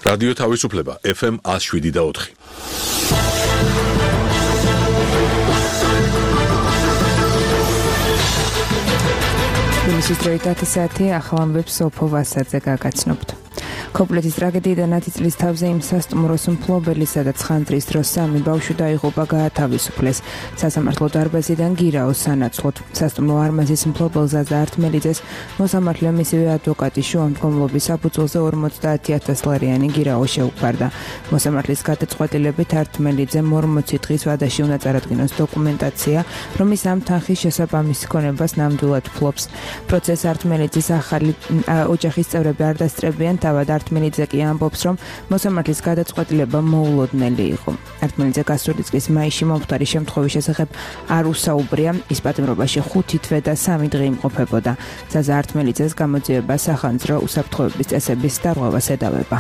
რადიო თავისუფლება FM 107.4. თბილისის დროით 10 საათი ახალ ამბებს სოფო ვასაძე გაგაცნობთ. Ქობულეთის ტრაგედიიდან 10 წლის თავზე იმ სასტუმროს მფლობელი, სადაც ხანძრის დროს 3 ბავშვი დაიღუპა, გაათავისუფლეს. სასამართლო დარბაზიდან გირაოს სანაცვლოდ. სასტუმრო არმაზის მფლობელ ზაზა ართმელიძეს მოსამართლე მისივე ადვოკატი შუამდგომლობის საფუძველზე 50,000 ლარიანი გირაო შეუქმარდა. მოსამართლის გადაწყვეტილებით ართმელიძემ 40 დღის ვადაში უნდა წარადგინოს დოკუმენტაცია, რომლის ამ თანხის შესაბამის ქონებას ნამდვილად ფლობს. პროცესს ართმელიძის ახალი ოჯახის წევრები არ დასწრებიან, თავად ართმელიძე კი ამბობს, რომ მოსამართლის გადაწყვეტილება მოულოდნელი იყო. ართმელიძე გასული წლის მაისში მომხდარი შემთხვევის შესახებ არ უსაუბრია, ის პატიმრობაში 5 თვე და 3 დღე იმყოფებოდა. ზაზა ართმელიძეს გამოძიება სახანძრო უსაფრთხოების წესების დარღვევას ედავება.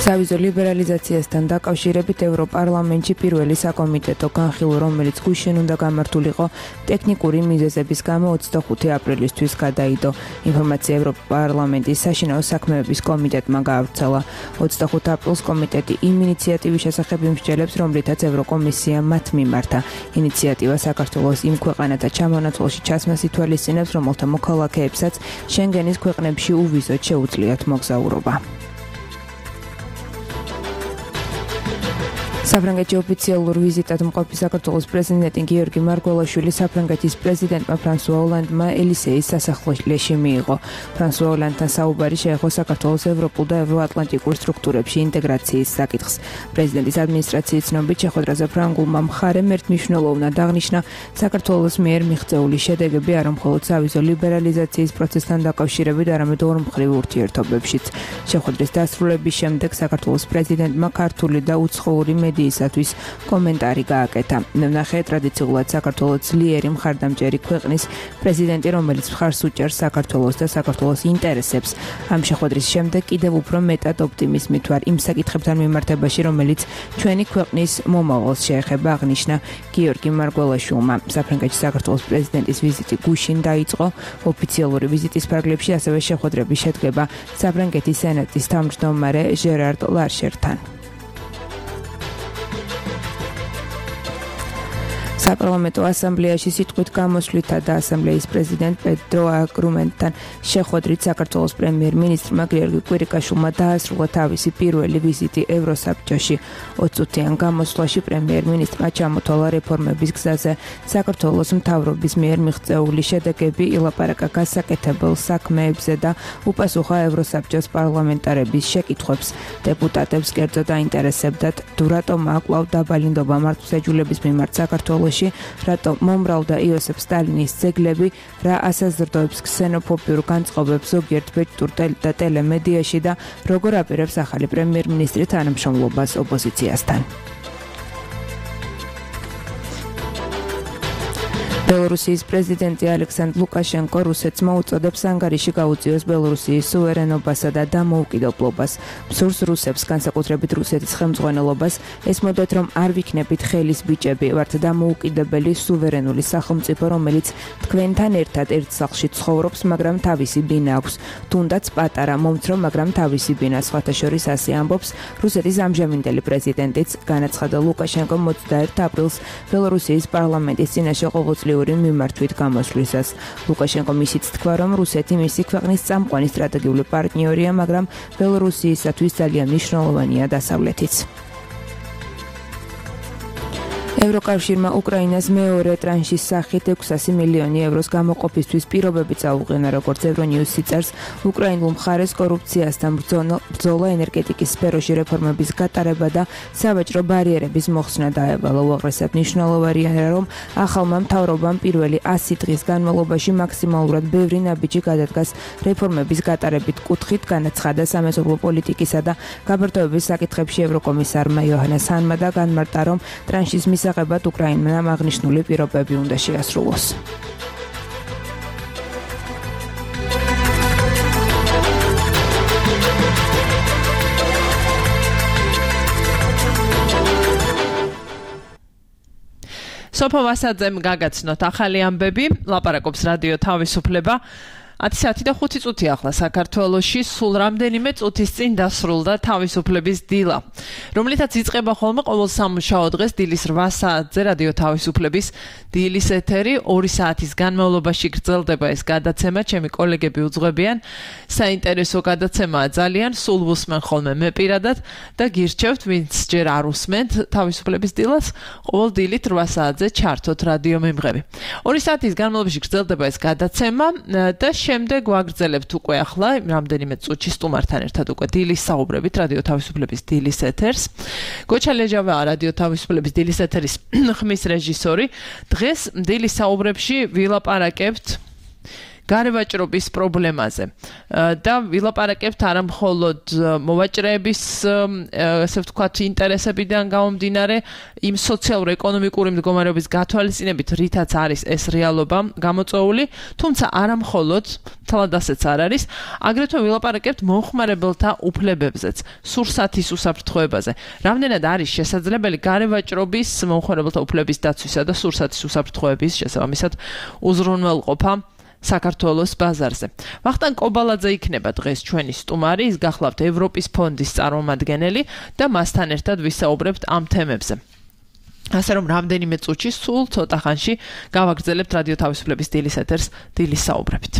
სავიზო ლიბერალიზაციასთან დაკავშირებით ევროპარლამენტში პირველი საკომიტეტო განხილვა, რომელიც გუშინ უნდა გამართულიყო ტექნიკური მიზეზების გამო 25 აპრილისთვის გადაიდო. ინფორმაცია ევროპარლამენტის საშინაო საქმეების კომიტეტმა გაავრცელა. 25 აპრილს კომიტეტი იმ ინიციატივის შესახებ იმსჯელებს, რომლითაც ევროკომისია მათ მიმართა. ინიციატივა საქართველოს იმ ქვეყანათა ჩამონაცვლაში ჩასმას ითვალისწინებს, რომელთა მოქალაქეებსაც შენგენის ქვეყნებში უვიზოდ შეუძლიათ მოგზაურობა. საფრანგეთში ოფიციალურ ვიზიტად მყოფი საქართველოს პრეზიდენტი გიორგი მარგველაშვილი საფრანგეთის პრეზიდენტმა ფრანსუა ოლანდმა ელისეის სასახლეში მიიღო. ფრანსუა ოლანდთან საუბარი შეეხო საქართველოს ევროპულ და ევროატლანტიკურ სტრუქტურებში ინტეგრაციის საკითხს. პრეზიდენტის ადმინისტრაციის ცნობით შეხვედრაზე ფრანგულმა მხარემ ერთმნიშვნელოვნად აღნიშნა საქართველოს მიერ მიღწეული შედეგები არა მხოლოდ სავიზო ლიბერალიზაციის პროცესთან დაკავშირებით, არამედ ორმხრივ ურთიერთობებშიც. შეხვედრის დასრულების შემდეგ საქართველოს პრეზიდენტმა ქართული და უცხოური მედიისათვის კომენტარი გააკეთა. მე ვნახე ტრადიციულად საქართველოს ძლიერი მხარდამჭერი ქვეყნის პრეზიდენტი, რომელიც მხარს უჭერს საქართველოს და საქართველოს ინტერესებს. ამ შეხვედრის შემდეგ კიდევ უფრო მეტად ოპტიმიზმით ვარ იმ საკითხებთან მიმართებაში, რომელიც ჩვენი ქვეყნის მომავალს შეეხება, აღნიშნა გიორგი მარგველაშვილმა. საფრანგეთში საქართველოს პრეზიდენტის ვიზიტი გუშინ დაიწყო. ოფიციალური ვიზიტის ფარგლებში ასევე შეხვედრები შედგება საფრანგეთის სენატის თავმჯდომარე ჟერარ ლარშერთან. საპარლამენტო ასამბლეაში სიტყვით გამოსვლითა და ასამბლეის პრეზიდენტ პედრო აგრუმენტთან შეხვედრით საქართველოს პრემიერ-მინისტრმა გიორგი კვირიკაშვილმა დაასრულა თავისი პირველი ვიზიტი ევროსაბჭოში. 20 წუთიან გამოსვლაში პრემიერ-მინისტრმა ჩამოთვალა რეფორმების გზაზე საქართველოს მთავრობის მიერ მიღწეული შედეგები, ილაპარაკა გასაკეთებელ საქმეებზე და უპასუხა ევროსაბჭოს პარლამენტარების შეკითხვებს. დეპუტატებს კერძო დაინტერესებდათ, თუ რატომ აკვლავ დაბალი ნდობა მართლმსაჯულების მიმართ საქართველოს, რატომ მომრავლდა იოსებ სტალინის ძეგლები, რა ასაზრდოებს ქსენოფობიურ განწყობებს ზოგიერთ ბეჭდურ და ტელემედიაში და როგორ აპირებს ახალი პრემიერ-მინისტრი თანამშრომლობას ოპოზიციასთან. ბელორუსიის პრეზიდენტი ალექსანდრ ლუკაშენკო რუსეთს მოუწოდებს ანგარიში გაუწიოს ბელორუსიის სუვერენობასა და დამოუკიდებლობას. მსურს რუსებს, განსაკუთრებით რუსეთის ხელმძღვანელობას, ესმოდათ, რომ არ ვიქნებით ხელის ბიჭები, ვართ დამოუკიდებელი სუვერენული სახელმწიფო, რომელიც თქვენთან ერთად ერთ სახლში ცხოვრობს, მაგრამ თავისი ბინა აქვს. თუნდაც პატარა, მომცრო, მაგრამ თავისი ბინა. სხვათა შორის ასე ამბობს რუსეთის ამჟამინდელი პრეზიდენტიც. განაცხადა ლუკაშენკომ 21 აპრილს ბელორუსიის პარლამენტის წინაშე ყოველწლიური მიმართვით გამოსვლისას. ლუკაშენკომ ისიც თქვა, რომ რუსეთი მისი ქვეყნის წამყვანი სტრატეგიული პარტნიორია, მაგრამ ბელორუსიისათვის ძალიან მნიშვნელოვანია დასავლეთიც. ევროკავშირმა უკრაინას მეორე ტრანშის სახით 600 მილიონი ევროს გამოყოფისთვის პირობები წაუყენა, როგორც ევრონიუსი წერს. უკრაინულ მხარეს კორუფციასთან ბრძოლა, ენერგეტიკის სფეროში რეფორმების გატარება და სავაჭრო ბარიერების მოხსნა დაევალა. უაღრესად მნიშვნელოვანია, რომ ახალმა მთავრობამ პირველი 100 დღის განმავლობაში მაქსიმალურად ბევრი ნაბიჯი გადადგას რეფორმების გატარებით კუთხით, განაცხადა სამეზობლო პოლიტიკისა და გაბართოების საკითხებში ევროკომისარმა იოჰანეს ჰანმა და განმარტა, რომ ტრანშის მისაღებად უკრაინამ აღნიშნული პირობები უნდა შეასრულოს. სოფო ვასაძემ გაგაცნოთ ახალი ამბები, ლაპარაკობს რადიო თავისუფლება. 10:05 წუთი ახლა საქართველოში სულ რამდენიმე წუთის წინ დასრულდა თავისუფლების დილა, რომლითაც იწყება ხოლმე ყოველ სამუშაო დღეს დილის 8 საათზე რადიო თავისუფლების დილის ეთერი 2 საათის განმავლობაში გრძელდება ეს გადაცემა. ჩემი კოლეგები უძღვებიან, საინტერესო გადაცემაა ძალიან, სულ უსმენ ხოლმე მე პირადად და გირჩევთ, ვინც ჯერ არ უსმენთ თავისუფლების დილას, ყოველ დილით 8 საათზე ჩართოთ რადიო მემღები. 2 საათის განმავლობაში გრძელდება ეს გადაცემა და შემდეგ ვაგრძელებთ უკვე ახლა რამდენიმე წუთში სტუმართან ერთად უკვე დილის საუბრებით რადიო თავისუფლების დილის ეთერს. გოჩა ლეჯავაა რადიო თავისუფლების დილის ეთერის ხმის რეჟისორი. დღეს დილის საუბრებში ვილაპარაკებთ გარევაჭრობის პრობლემაზე და ვილაპარაკებთ არა მხოლოდ მოვაჭრეების ასე ვთქვათ ინტერესებიდან გამომდინარე იმ სოციალურ-ეკონომიკური მდგომარეობის გათვალისწინებით, რითაც არის ეს რეალობა გამოწვეული, თუმცა არა მხოლოდ, თალად ასეც არ არის, აგრეთვე ვილაპარაკებთ მომხმარებელთა უფლებებზეც, სურსათის უსაფრთხოებაზე. რამდენად არის შესაძლებელი გარევაჭრობის, მომხმარებელთა უფლების დაცვისა და სურსათის უსაფრთხოების შესაბამისად უზრუნველყოფა საქართველოს ბაზარზე. ვახტანგ კობალაძე იქნება დღეს ჩვენი სტუმარი, ის გახლავთ ევროპის ფონდის წარმომადგენელი და მასთან ერთად ვისაუბრებთ ამ თემებზე. ასე რომ რამდენიმე წუთში სულ ცოტა ხანში გავაგრძელებთ რადიო თავისუფლების დილის ეთერს დილის საუბრებით.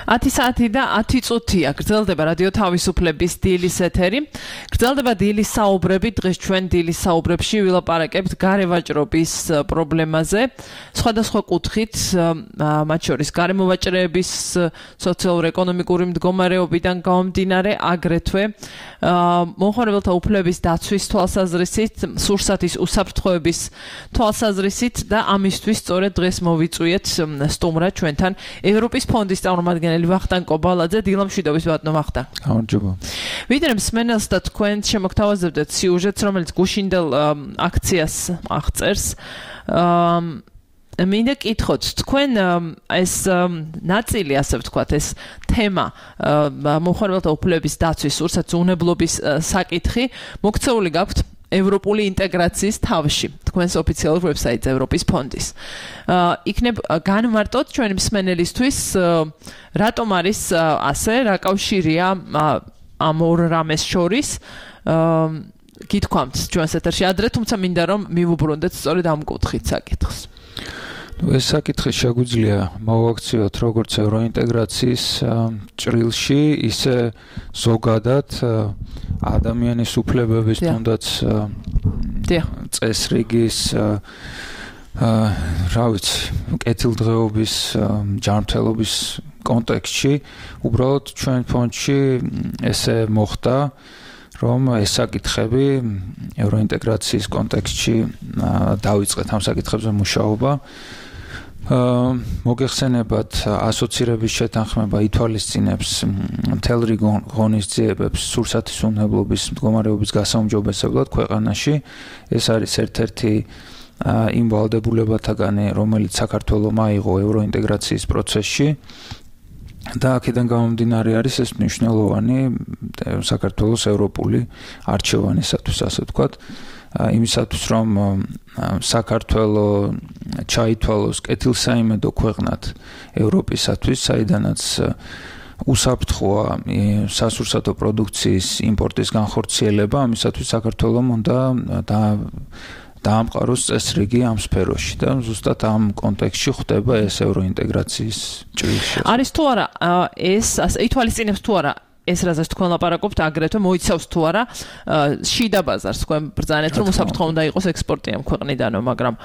10 საათი და 10 წუთია გრძელდება რადიო თავისუფლების დილის ეთერი. გრძელდება დილის საუბრები. დღეს ჩვენ დილის საუბრებში ვილაპარაკებთ გარევაჭრობის პრობლემაზე. სხვადასხვა კუთხით, მათ შორის გარემოვაჭრეების სოციალურ-ეკონომიკური მდგომარეობიდან გამომდინარე, აგრეთვე მომხმარებელთა უფლებების დაცვის თვალსაზრისით, სურსათის უსაფრთხოების თვალსაზრისით და ამისთვის სწორედ დღეს მოვიწვიეთ სტუმრად ჩვენთან ევროპის ფონდის წარმომადგენელი ვახტანგ კობალაძე. დილამშვიდობის ბატონო ვახტანგ. გამარჯობა. ვიდრე მსმენელს და თქვენ შემოგთავაზებდეთ სიუჟეტს, რომელიც გუშინდელ აქციას აღწერს. მინდა კითხოთ, თქვენ ეს ნაწილი, ასე ვთქვათ, ეს თემა მომხმარებელთა უფლებების დაცვის, სურსათის უნებლობის საკითხი მოქცეული გაქვთ ევროპული ინტეგრაციის თავში, თქვენს ოფიციალურ ვებსაიტზე ევროპის ფონდის. იქნებ განმარტოთ ჩვენი მსმენელისთვის, რატომ არის ასე, რა კავშირია ამ ორ რამეს შორის. გითქვამთ ჩვენს ეთერში ადრე, თუმცა მინდა რომ მივუბრუნდეთ სწორედ ამ კუთხით საკითხს. ეს საკითხი შეგვიძლია მოვაქციოთ როგორც ევროინტეგრაციის ჭრილში, ისე ზოგადად ადამიანის უფლებების თუნდაც წესრიგის რა ვიცი, კეთილდღეობის ჯანმრთელობის კონტექსტში, უბრალოდ ჩვენ ფონდში ესე მოხდა, რომ ეს საკითხები ევროინტეგრაციის კონტექსტში დავიწყეთ ამ საკითხებზე მუშაობა. მოგეხსენებათ, ასოცირების შეთანხმება ითვალისწინებს მთელ რიგ ღონისძიებებს სურსათის უნებლობის მდგომარეობის გასაუმჯობესებლად ქვეყანაში. ეს არის ერთ-ერთი იმ ვალდებულებათაგანი, რომელიც საქართველოს აიღო ევროინტეგრაციის პროცესში. და აქედან გამომდინარე არის ეს მნიშვნელოვანი საქართველოს ევროპული არჩევანისათვის, ასე ვთქვათ, იმისათვის, რომ საქართველოს ჩაითვალოს კეთილსაიმედო ქვეყნად ევროპისათვის, საიდანაც უსაფრთხოა სასურსათო პროდუქციის იმპორტის განხორციელება, ამისათვის საქართველოს უნდა დაამყაროს წესრიგი ამ სფეროში და ზუსტად ამ კონტექსტში ხდება ეს ევროინტეგრაციის ჭრილში. არის თუ არა ეს ითვალისწინებს თუ არა ეს რაზეც თქვენ ლაპარაკობთ, აგრეთვე მოიცავს თუ არა შიდა ბაზარს, თქვენ ბრძანეთ რომ უსაფრთხო უნდა იყოს ექსპორტი ამ ქვეყნიდანო, მაგრამ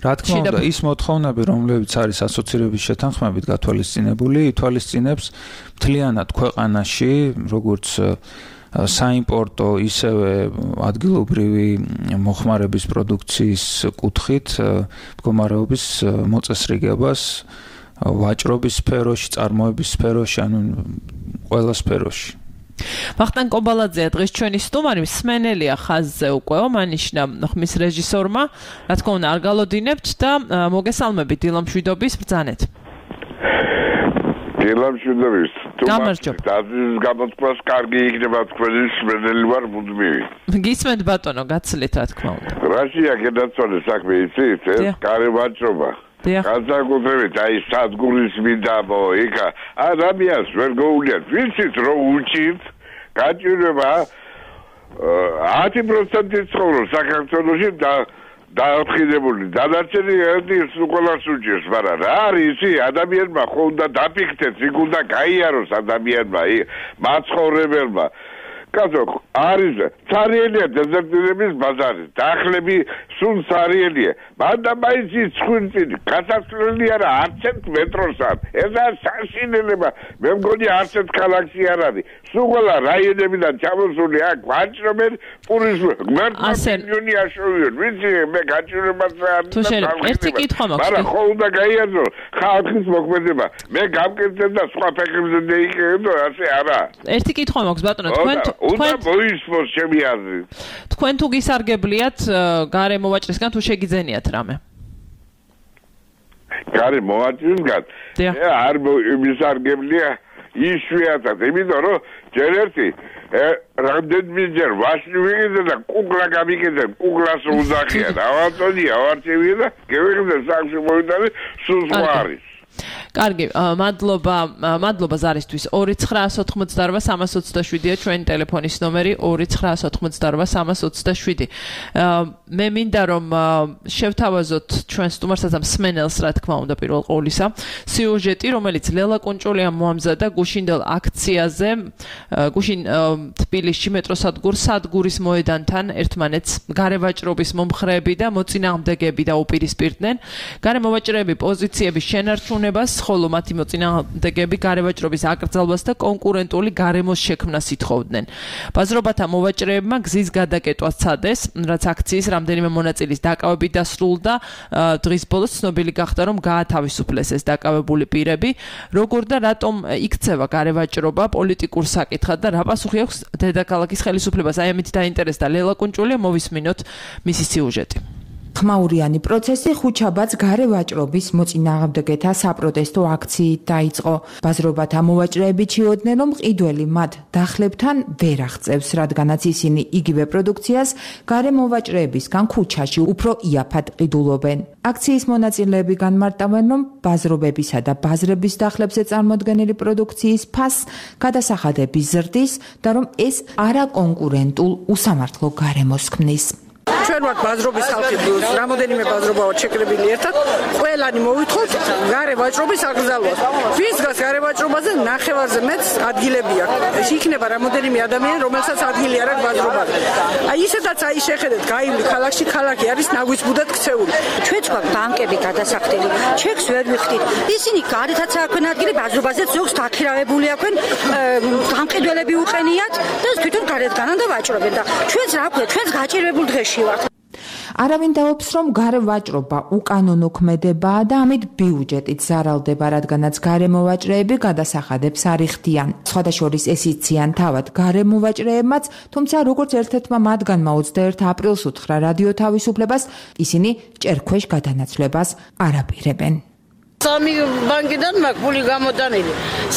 რა თქმა უნდა, ის მოთხოვნები, რომლებიც არის ასოცირების შეთანხმებით გათვალისწინებული, ითვალისწინებს მთლიანად ქვეყანაში, როგორც საიმპორტო, ისევე ადგილობრივი მოხმარების პროდუქციის კუთხით მდგომარეობის მოწესრიგებას ვაჭრობის სფეროში, წარმოების სფეროში, ანუ ყველა სფეროში. ვახტანგ კობალაძეა დღეს ჩვენი სტუმარი, მსმენელია ხაზზე უკვე, მანიშნა ხმის რეჟისორმა, რა თქმა უნდა არ გალოდინებთ და მოგესალმებით დილამშვიდობის ბრძანეთ. დილამშვიდობის. გამარჯობა. დაზის გამოთქვას კარგი იქნება თქვენი მსმენელი ვარ მუდმივი. გისმენთ ბატონო, გაცილეთ რა თქმა უნდა. რაშია გადაწყვეტე საქმე იცით, ეს გარევაჭრობა. განსაკუთრებით აი სადგურის მინდამო იქა ადამიანს ვერ გოულიათ, ვიცით რომ უჭირთ გაჭირება 10% ცხოვრობს საქართველოში და დააფხიდებული დანარჩენი ერთის უყოლას უჭირს, მაგრამ რა არის ისი ადამიანმა ხო უნდა დაფიქრდეს, იქ უნდა გაიაროს ადამიანმა, მაცხოვრებელმა. კაცო, არის ცარიელია დეზერტირების ბაზარი, დახლები სულ ცარიელია. მანდა მაინც ცხუნწინი, გასასვლელი არა არც ერთ მეტროს არ. ესა საშინელება, მე მგონი არც ერთ ქალაქში არ არის. სულ ყველა რაიონებიდან ჩამოსული აქ ვაჭრობენ პურის მილიონი აშოვიონ. ვიცი, მე გაჭირებას არ ერთი კითხვა მაქვს. მაგრამ ხო უნდა გაიაზრო ხალხის მოქმედება. მე გამკეთებ და სხვა ფეხებზე დაიკეთო, ასე არა. ერთი კითხვა მაქვს ბატონო, თქვენ უნდა მოისმოს ჩემი აზრით. თქვენ თუ გისარგებლიათ გარემოვაჭრისგან თუ შეგიძენიათ რამე? გარემოვაჭრისგან? არ მისარგებლია იშვიათად, იმიტომ რომ ჯერ ერთი რამდენიმეჯერ ვაშლი ვიგეზე და კუკლა გამიგეზე, კუკლას უძახია. დავაწოდია, ავარჩევია და გევიღზე საქმე მოვიტანე, სულ სხვა არის. კარგი, მადლობა ზარისთვის. 2988327-ია ჩვენი ტელეფონის ნომერი 2988327. მე მინდა რომ შევთავაზოთ ჩვენ სტუმარსაც ამ სმენელს, რა თქმა უნდა, პირველ ყოვლისა, სიუჟეტი, რომელიც ლელა კუნჭულიამ მოამზადა გუშინდელ აქციაზე, გუშინ თბილისში მეტროსადგურ სადგურის მოედანთან ერთმანეთს გარევაჭრობის მომხრეები და მოწინააღმდეგეები დაუპირისპირდნენ. გარემოვაჭრეები პოზიციების შენარჩუნებას, ხოლო მათი მოწინააღმდეგეები გარევაჭრობის აკრძალვას და კონკურენტული გარემოს შექმნას ითხოვდნენ. ბაზრობათა მოვაჭრეებმა გზის გადაკეტვა სცადეს, რაც აქციის რამდენიმე მონაწილის დაკავებით დასრულდა. დღის ბოლოს ცნობილი გახდა, რომ გაათავისუფლეს ეს დაკავებული პირები. როგორ და რატომ იქცევა გარევაჭრობა პოლიტიკურ საკითხად და რა პასუხი აქვს დედაქალაქის ხელისუფლებას? აი ამით დაინტერესდა ლელა კუნჭულია, მოვისმინოთ მისი სიუჟეტი. ხმაურიანი პროცესი ხუთშაბათს გარევაჭრობის მოწინააღმდეგეთა საპროტესტო აქციით დაიწყო. ბაზრობათა მოვაჭრეები ჩიოდნენ, რომ მყიდველი მათ დახლებთან ვერ აღწევს, რადგანაც ისინი იგივე პროდუქციას გარემოვაჭრეებისგან ქუჩაში უფრო იაფად ყიდულობენ. აქციის მონაწილეები განმარტავენ, რომ ბაზრობებისა და ბაზრების დახლებზე წარმოდგენილი პროდუქციის ფასს გადასახადები ზრდის და რომ ეს არაკონკურენტულ უსამართლო გარემოს ქმნის. ჩვენ ვართ ბაზრობის ხალხი, რამოდენიმე ბაზრობა ვართ შეკრებილი ერთად, ყველანი მოვითხოვთ გარევაჭრობის აკრძალვას. ვის გას გარევაჭრობაზე ნახევარზე მეტს ადგილები აქვს. იქნება რამოდენიმე ადამიანი, რომელსაც ადგილი არ აქვს ბაზრობაზე. აი ისედაც აი შეხედეთ, გაივლი ქალაქში, ქალაქი არის ნაგვიცბუდად ქცეული. ჩვენც გვაქვს ბანკები გადასახდელი, ჩეკს ვერ ვიხდით. ისინი გარეთაც აქვენ ადგილი, ბაზრობაზეც ზოგს დაქირავებული აქვენ, გამყიდველები უყენიათ და თვითონ გარეთგანან და ვაჭრობენ და ჩვენც რა ქვია, ჩვენც გაჭირებულ დღეში ვართ. არავინ დაობს, რომ გარევაჭრობა უკანონო ქმედებაა და ამით ბიუჯეტით ზარალდება, რადგანაც გარემოვაჭრეები გადასახადებს არ იხდიან. სხვადასხვა ეს იციან თავად გარემოვაჭრეებმაც, თუმცა როგორც ერთ-ერთმა მათგანმა 21 აპრილს უთხრა რადიო თავისუფლებას, ისინი ჭერქვეშ გადანაცვლებას არ აპირებენ. სამი ბანკიდან მაქვს ფული გამოტანილი.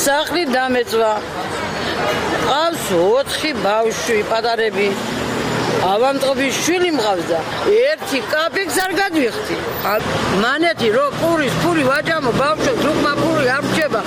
სახლი დამეწვა. ყავს 4 ბავშვი, პატარები. ავამტყობის შვილი მყავს და ერთი კაპიკს არ გადვიხდი. მანეთი რო პურის ფული ვაჭამო ბავშვებს უკმა ფული არ რჩება.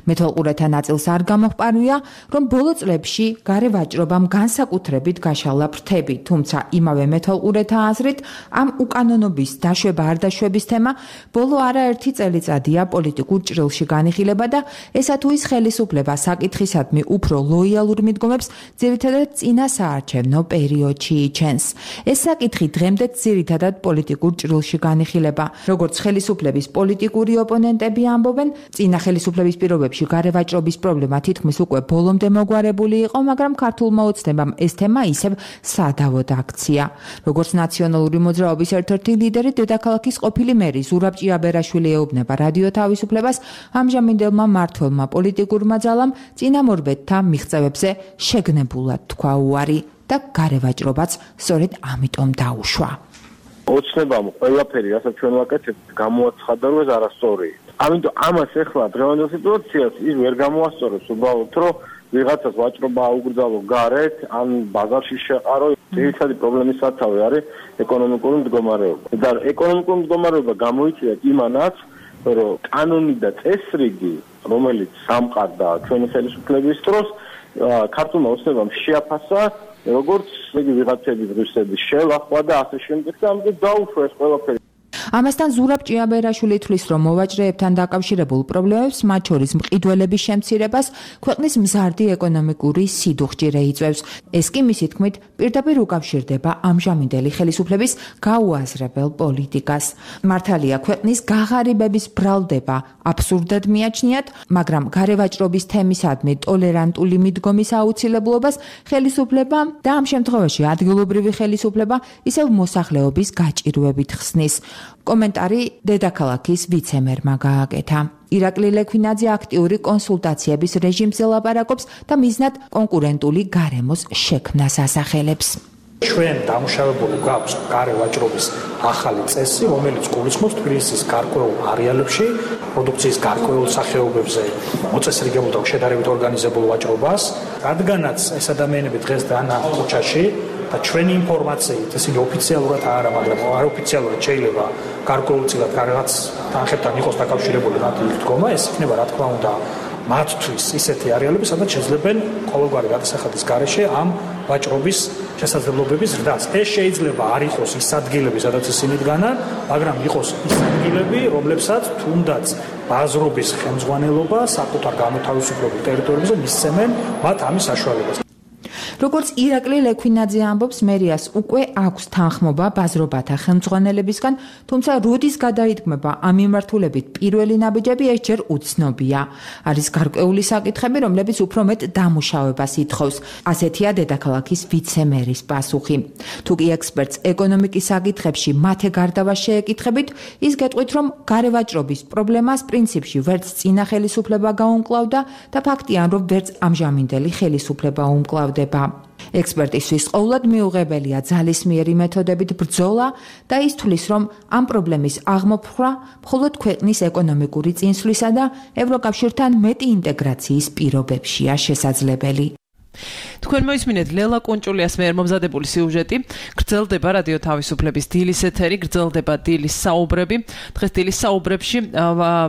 მეთვალყურეთა ნაწილს არ გამოჰყარია, რომ ბოლო წლებში გარევაჭრობამ განსაკუთრებით გაშალა ფრთები, თუმცა იმავე მეთვალყურეთა აზრით, ამ უკანონობის დაშვება არ დაშვების თემა ბოლო არაერთი წელიწადია პოლიტიკურ ჭრილში განიხილება და ესა თუ ის ხელისუფლება საკითხისადმი უფრო ლოიალურ მიდგომებს ძირითადად წინა საარჩევნო პერიოდში იჩენს. ეს საკითხი დღემდე ძირითადად პოლიტიკურ ჭრილში განიხილება. როგორც ხელისუფლების პოლიტიკური ოპონენტები ამბობენ, წინა ხელისუფლების პირობებში გარევაჭრობის პრობლემა თითქმის უკვე ბოლომდე მოგვარებული იყო, მაგრამ ქართულმა ოცნებამ ეს თემა ისევ სადავოდ აქცია. როგორც ნაციონალური მოძრაობის ერთ-ერთი ლიდერი, დედაქალაქის ყოფილი მერი ზურაბ ჭიაბერაშვილი ეუბნება რადიო თავისუფლებას, ამჟამინდელმა მმართველმა პოლიტიკურმა ძალამ წინამორბედთა მიღწევებზე შეგნებულად თქვა უარი და გარევაჭრობაც სწორედ ამიტომ დაუშვა. ოცნებამ ყველაფერი, რასაც ჩვენ ვაკეთებთ, გამოაცხადა, რომ ეს არასწორია. ამიტომ ამას ახლა დღევანდელ სიტუაციას ის ვერ გამოასწორებს უბრალოდ, რომ ვიღაცას ვაჭრობა აუგრძალო გარეთ, ან ბაზარში შეყარო. ძირითადი პრობლემის სათავე არის ეკონომიკური მდგომარეობა. და ეკონომიკური მდგომარეობა გამოიწვია იმანაც, რომ კანონი და წესრიგი, რომელიც სამყარდა ჩვენი ხელისუფლების დროს, ქართულმა ოცნებამ შეაფასა, როგორც ვიღაცების ღირსების შელახვა და ასე შემდეგ და ამიტომ დაუშვა ეს ყველაფერი. ამასთან ზურაბ ჭიაბერაშვილი თვლის, რომ მოვაჭრეებთან დაკავშირებულ პრობლემებს, მათ შორის მყიდველების შემცირებას, ქვეყნის მზარდი ეკონომიკური სიდუხჭირე იწვევს. ეს კი მისი თქმით პირდაპირ უკავშირდება ამჟამინდელი ხელისუფლების გაუაზრებელ პოლიტიკას. მართალია, ქვეყნის გაღარიბების ბრალდება აბსურდად მიაჩნიათ, მაგრამ გარევაჭრობის თემისადმი ტოლერანტული მიდგომის აუცილებლობას ხელისუფლება და ამ შემთხვევაში ადგილობრივი ხელისუფლება ისევ მოსახლეობის გაჭირვებით ხსნის. კომენტარი დედაქალაქის ვიცემერმა გააკეთა. ირაკლი ლექვინაძე აქტიური კონსულტაციების რეჟიმზე ლაპარაკობს და მიზნად კონკურენტული გარემოს შექმნას ასახელებს. ჩვენ დამუშავებული გვაქვს გარევაჭრობის ახალი წესი, რომელიც გულისხმობს თბილისის გარკვეულ არეალებში პროდუქციის გარკვეულ სახეობებზე მოწესრიგებულ და შედარებით ორგანიზებულ ვაჭრობას, რადგანაც ეს ადამიანები დღეს დანა ქუჩაში და ჩვენი ინფორმაციით, ისინი ოფიციალურად არა, მაგრამ არაოფიციალურად შეიძლება გარკვეულწილად რაღაც თანხებთან იყოს დაკავშირებული მათი დგომა, ეს იქნება რა თქმა უნდა მათთვის ისეთი არეალები, სადაც შეძლებენ ყოველგვარი გადასახადის გარეშე ამ ვაჭრობის შესაძლებლობების ზრდას. ეს შეიძლება არ იყოს ის ადგილები, სადაც ისინი დგანან, მაგრამ იყოს ის ადგილები, რომლებსაც თუნდაც ბაზრობის ხელმძღვანელობა საკუთარ გამოთავისუფლებულ ტერიტორიებზე მისცემენ მათ ამის საშუალებას. როგორც ირაკლი ლექვინაძე ამბობს, მერიას უკვე აქვს თანხმობა ბაზრობათა ხელმძღვანელებისგან, თუმცა როდის გადაიდგმება ამ მიმართულებით პირველი ნაბიჯები, ეს ჯერ უცნობია. არის გარკვეული საკითხები, რომლებიც უფრო მეტ დამუშავებას ითხოვს. ასეთია დედაქალაქის ვიცე-მერის პასუხი. თუკი ექსპერტს ეკონომიკის საკითხებში მათე გარდავა შეეკითხებით, ის გეტყვით, რომ გარევაჭრობის პრობლემას პრინციპში ვერც წინა ხელისუფლება გაუმკლავდა და ფაქტია, რომ ვერც ამჟამინდელი ხელისუფლება უმკლავდება. ექსპერტისთვის ყოველად მიუღებელია ძალისმიერი მეთოდებით ბრძოლა და ის თვლის, რომ ამ პრობლემის აღმოფხვრა მხოლოდ ქვეყნის ეკონომიკური წინსვლისა და ევროკავშირთან მეტი ინტეგრაციის პირობებშია შესაძლებელი. თქვენ მოისმინეთ ლელა კუნჭულიას მიერ მომზადებული სიუჟეტი. გრძელდება რადიო თავისუფლების დილის ეთერი, გრძელდება დილის საუბრები. დღეს დილის საუბრებში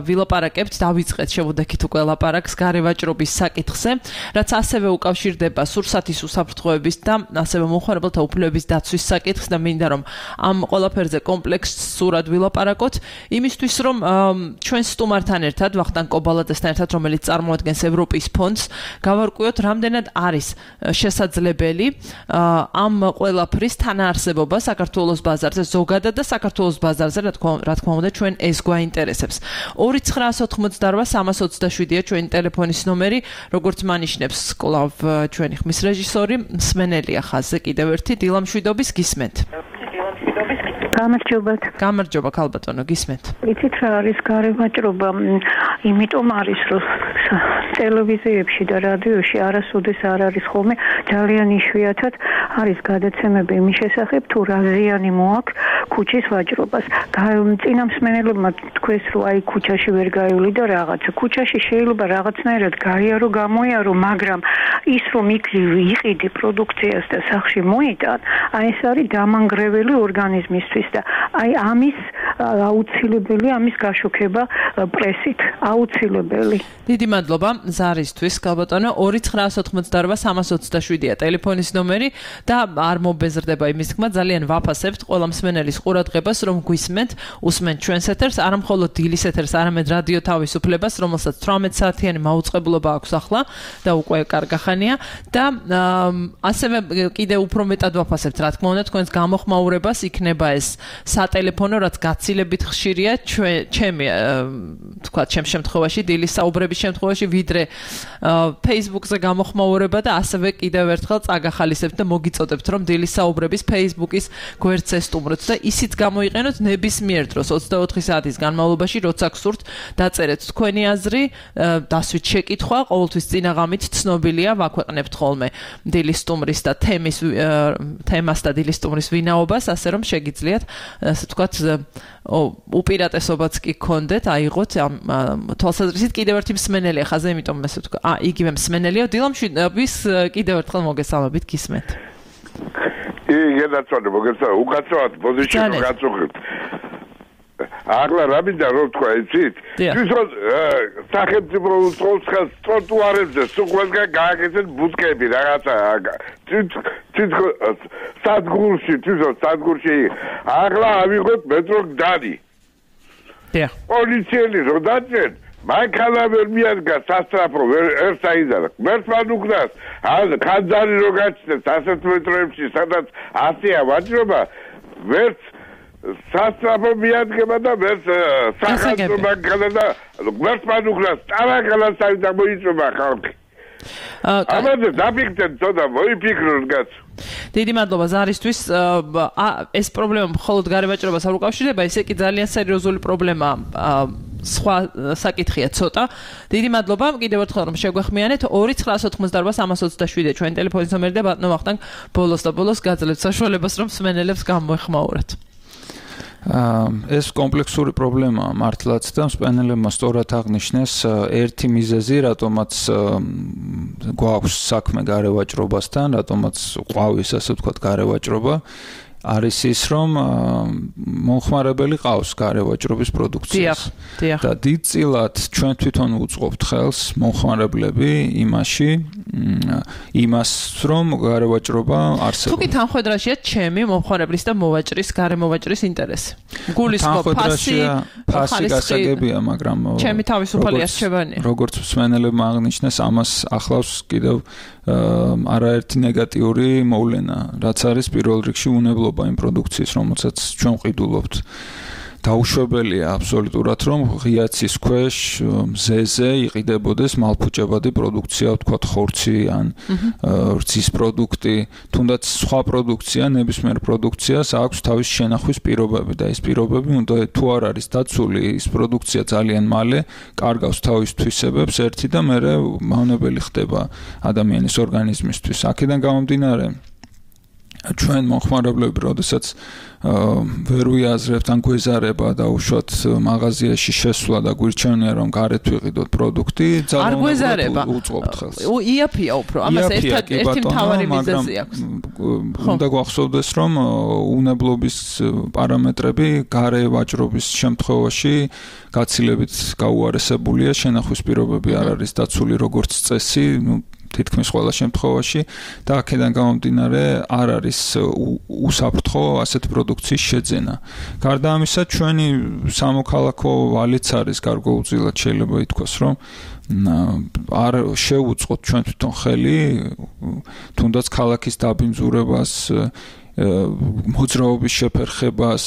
ვილაპარაკებთ, დავიწყეთ შევუდექით უკვე ლაპარაკს გარევაჭრობის საკითხზე, რაც ასევე უკავშირდება სურსათის უსაფრთხოების და ასევე მომხმარებელთა უფლებების დაცვის საკითხს და მინდა რომ ამ ყველაფერზე კომპლექსურად ვილაპარაკოთ, იმისთვის რომ ჩვენ სტუმართან ერთად, ვახტანგ კობალაძესთან ერთად, რომელიც წარმოადგენს ევროპის ფონდს, გავარკვიოთ რამდენად არის შესაძლებელი ამ ყველაფრის თანაარსებობა საქართველოს ბაზარზე ზოგადად და საქართველოს ბაზარზე რა თქმა უნდა ჩვენ ეს გვაინტერესებს. 2988-327-ია ჩვენი ტელეფონის ნომერი, როგორც მანიშნებს კლავ ჩვენი ხმის რეჟისორი, მსმენელია ხაზზე კიდევ ერთი დილამშვიდობის გისმენთ. გამარჯობათ. გამარჯობა ქალბატონო, გისმენთ. იცით რა არის გარევაჭრობა? იმიტომ არის რომ ტელევიზიებში და რადიოში არასოდეს არ არის ხოლმე ძალიან იშვიათად არის გადაცემები იმის შესახებ თუ რა ზიანი მოაქვს ქუჩის ვაჭრობას. წინა მსმენელებმა თქვეს რომ აი ქუჩაში ვერ გაივლი და რაღაცა. ქუჩაში შეიძლება რაღაცნაირად გაიარო, გამოიარო, მაგრამ ის რომ იქ იყიდი პროდუქციას და სახში მოიტან, აი ეს არის დამანგრეველი ორგანიზმისთვის და აი ამის აუცილებელი ამის გაშუქება პრესით აუცილებელი. დიდი მადლობა ზარისთვის ქალბატონო. 2988-327-ია ტელეფონის ნომერი და არ მობეზრდება იმის თქმა, ძალიან ვაფასებთ ყველა მსმენელის ყურადღებას, რომ გვისმენთ, უსმენთ ჩვენს ეთერს, არა მხოლოდ დილის ეთერს, არამედ რადიო თავისუფლებას, რომელსაც 18 საათიანი მაუწყებლობა აქვს ახლა და უკვე კარგახანია და ასევე კიდევ უფრო მეტად ვაფასებთ, რა თქმა უნდა, თქვენს გამოხმაურებას, იქნება ეს სატელეფონო, რაც გაცილებით ხშირია ჩემი თქვა ჩემ შემთხვევაში დილის საუბრების შემთხვევაში ვიდრე Facebook-ზე გამოხმაურება და ასევე კიდევ ერთხელ წაგახალისებთ და მოგიწოდებთ რომ დილის საუბრების Facebook-ის გვერდს ესტუმროთ და ისიც გამოიყენოთ ნებისმიერ დროს 24 საათის განმავლობაში, როცა გსურთ, დაწერეთ თქვენი აზრი, დასვით შეკითხვა, ყოველთვის წინაღამით ცნობილია, ვაქვეყნებთ ხოლმე დილის სტუმრის და თემას და დილის სტუმრის ვინაობას, ასე რომ შეგიძლიათ ასე ვთქვათ უპირატესობაც კი გქონდეთ, აიღოთ ამ თვალსაზრისით კიდევ ერთი მსმენელია ხაზე, იმიტომ ასე ვთქვა, იგივე მსმენელია დილამშვიდობის კიდევ ერთხელ მოგესალმებით გისმენთ. გენაცვალე მოგესალმებით, უკაცრავად პოზიციას გაწუხებთ. ახლა რა მინდა რომ თქვა იცით? თვითონ სახელმწიფო უწყობს ხელს ტროტუარებზე, სუყვებგან გააკეთეთ ბუდკები რაღაცა. სადგურში ახლა ავიღოთ მეტრო გდანი. პოლიციელი რო დაჭერთ, მანქანა ვერ მიადგა სასტრაფო ვერ საიდან. მერტმან უკდას, ხანძარი რო გაჩნდეს 100 მეტრებში, სადაც 100-ია ვაჭრობა, ვერც სასტრაფო მიადგება და ვერც სახალხო მანქანა და მერტმან უკდას, ტარაკალას საიდან მოიწובה ხალხი. ამაზე დაფიქრეთ ცოტა მოიფიქროთ კაც. დიდი მადლობა ზარისთვის. ეს პრობლემა მხოლოდ გარევაჭრობას არ უკავშირდება, ესე კი ძალიან სერიოზული პრობლემაა. სხვა საკითხია ცოტა. დიდი მადლობა კიდევ ერთხელ რომ შეგვეხმიანეთ. 2988-327 ჩვენი ტელეფონის ნომერი და ბატონო ვახტანგ ბოლოს და ბოლოს გაძლევთ საშუალებას რომ მსმენელებს გამოეხმაუროთ. ეს კომპლექსური პრობლემაა მართლაც და მსმენელებმა სწორად აღნიშნეს ერთი მიზეზი, რატომაც გვაქვს საქმე გარევაჭრობასთან, რატომაც ყვავის ასე ვთქვათ გარევაჭრობა. არის ის, რომ მომხმარებელი ყავს გარე ვაჭრობის პროდუქციას. და დიდწილად ჩვენ თვითონ უწყობთ ხელს მომხმარებლები იმას, რომ გარე ვაჭრობა არსებობს. თუ კი თანხმედრაშია ჩემი მომხმარებლის და მოვაჭრის, გარე მოვაჭრის ინტერესი. გულისხმობ ფასი გასაგებია, მაგრამ ჩემი თავისუფალი არჩევანია. როგორც მსმენელებმა აღნიშნეს, ამას ახლავს კიდევ არაერთი ნეგატიური მოვლენა, რაც არის პირველ რიგში უნებლობა იმ პროდუქციის, რომელსაც ჩვენ ვყიდულობთ. დაუშვებელია აბსოლუტურად, რომ ღიაცის ქვეშ მზეზე იყიდებოდეს მალფუჭებადი პროდუქცია, ვთქვათ, ხორცი ან რძის პროდუქტი, თუნდაც სხვა პროდუქცია, ნებისმიერ პროდუქციას აქვს თავის შენახვის პირობები და ეს პირობები უნდა თუ არ არის დაცული, ის პროდუქცია ძალიან მალე კარგავს თავის თვისებებს ერთი და მერე მავნებელი ხდება ადამიანის ორგანიზმისთვის. აქედან გამომდინარე ჩვენ მომხმარებლები, როდესაც ვერ ვიაზრებთ ან გვეზარება და უშუალოდ მაღაზიაში შესვლა და გვირჩევნია, რომ გარეთ ვიყიდოთ პროდუქტი, ძალიან უწყობთ ხელს. იაფია უფრო, ამას ერთი მთავარი მიზეზი აქვს. უნდა გვახსოვდეს, რომ უნებლობის პარამეტრები გარე ვაჭრობის შემთხვევაში გაცილებით გაუარესებულია, შენახვის პირობები არ არის დაცული როგორც წესი, თითქმის ყველა შემთხვევაში და აქედან გამომდინარე არ არის უსაფრთხო ასეთ პროდუქციის შეძენა. გარდა ამისა, ჩვენი სამოქალაქო ვალიც არის გარკვეულწილად შეიძლება ითქვას, რომ არ შევუწყოთ ჩვენ თვითონ ხელი თუნდაც ქალაქის დაბინძურებას, მოძრაობის შეფერხებას,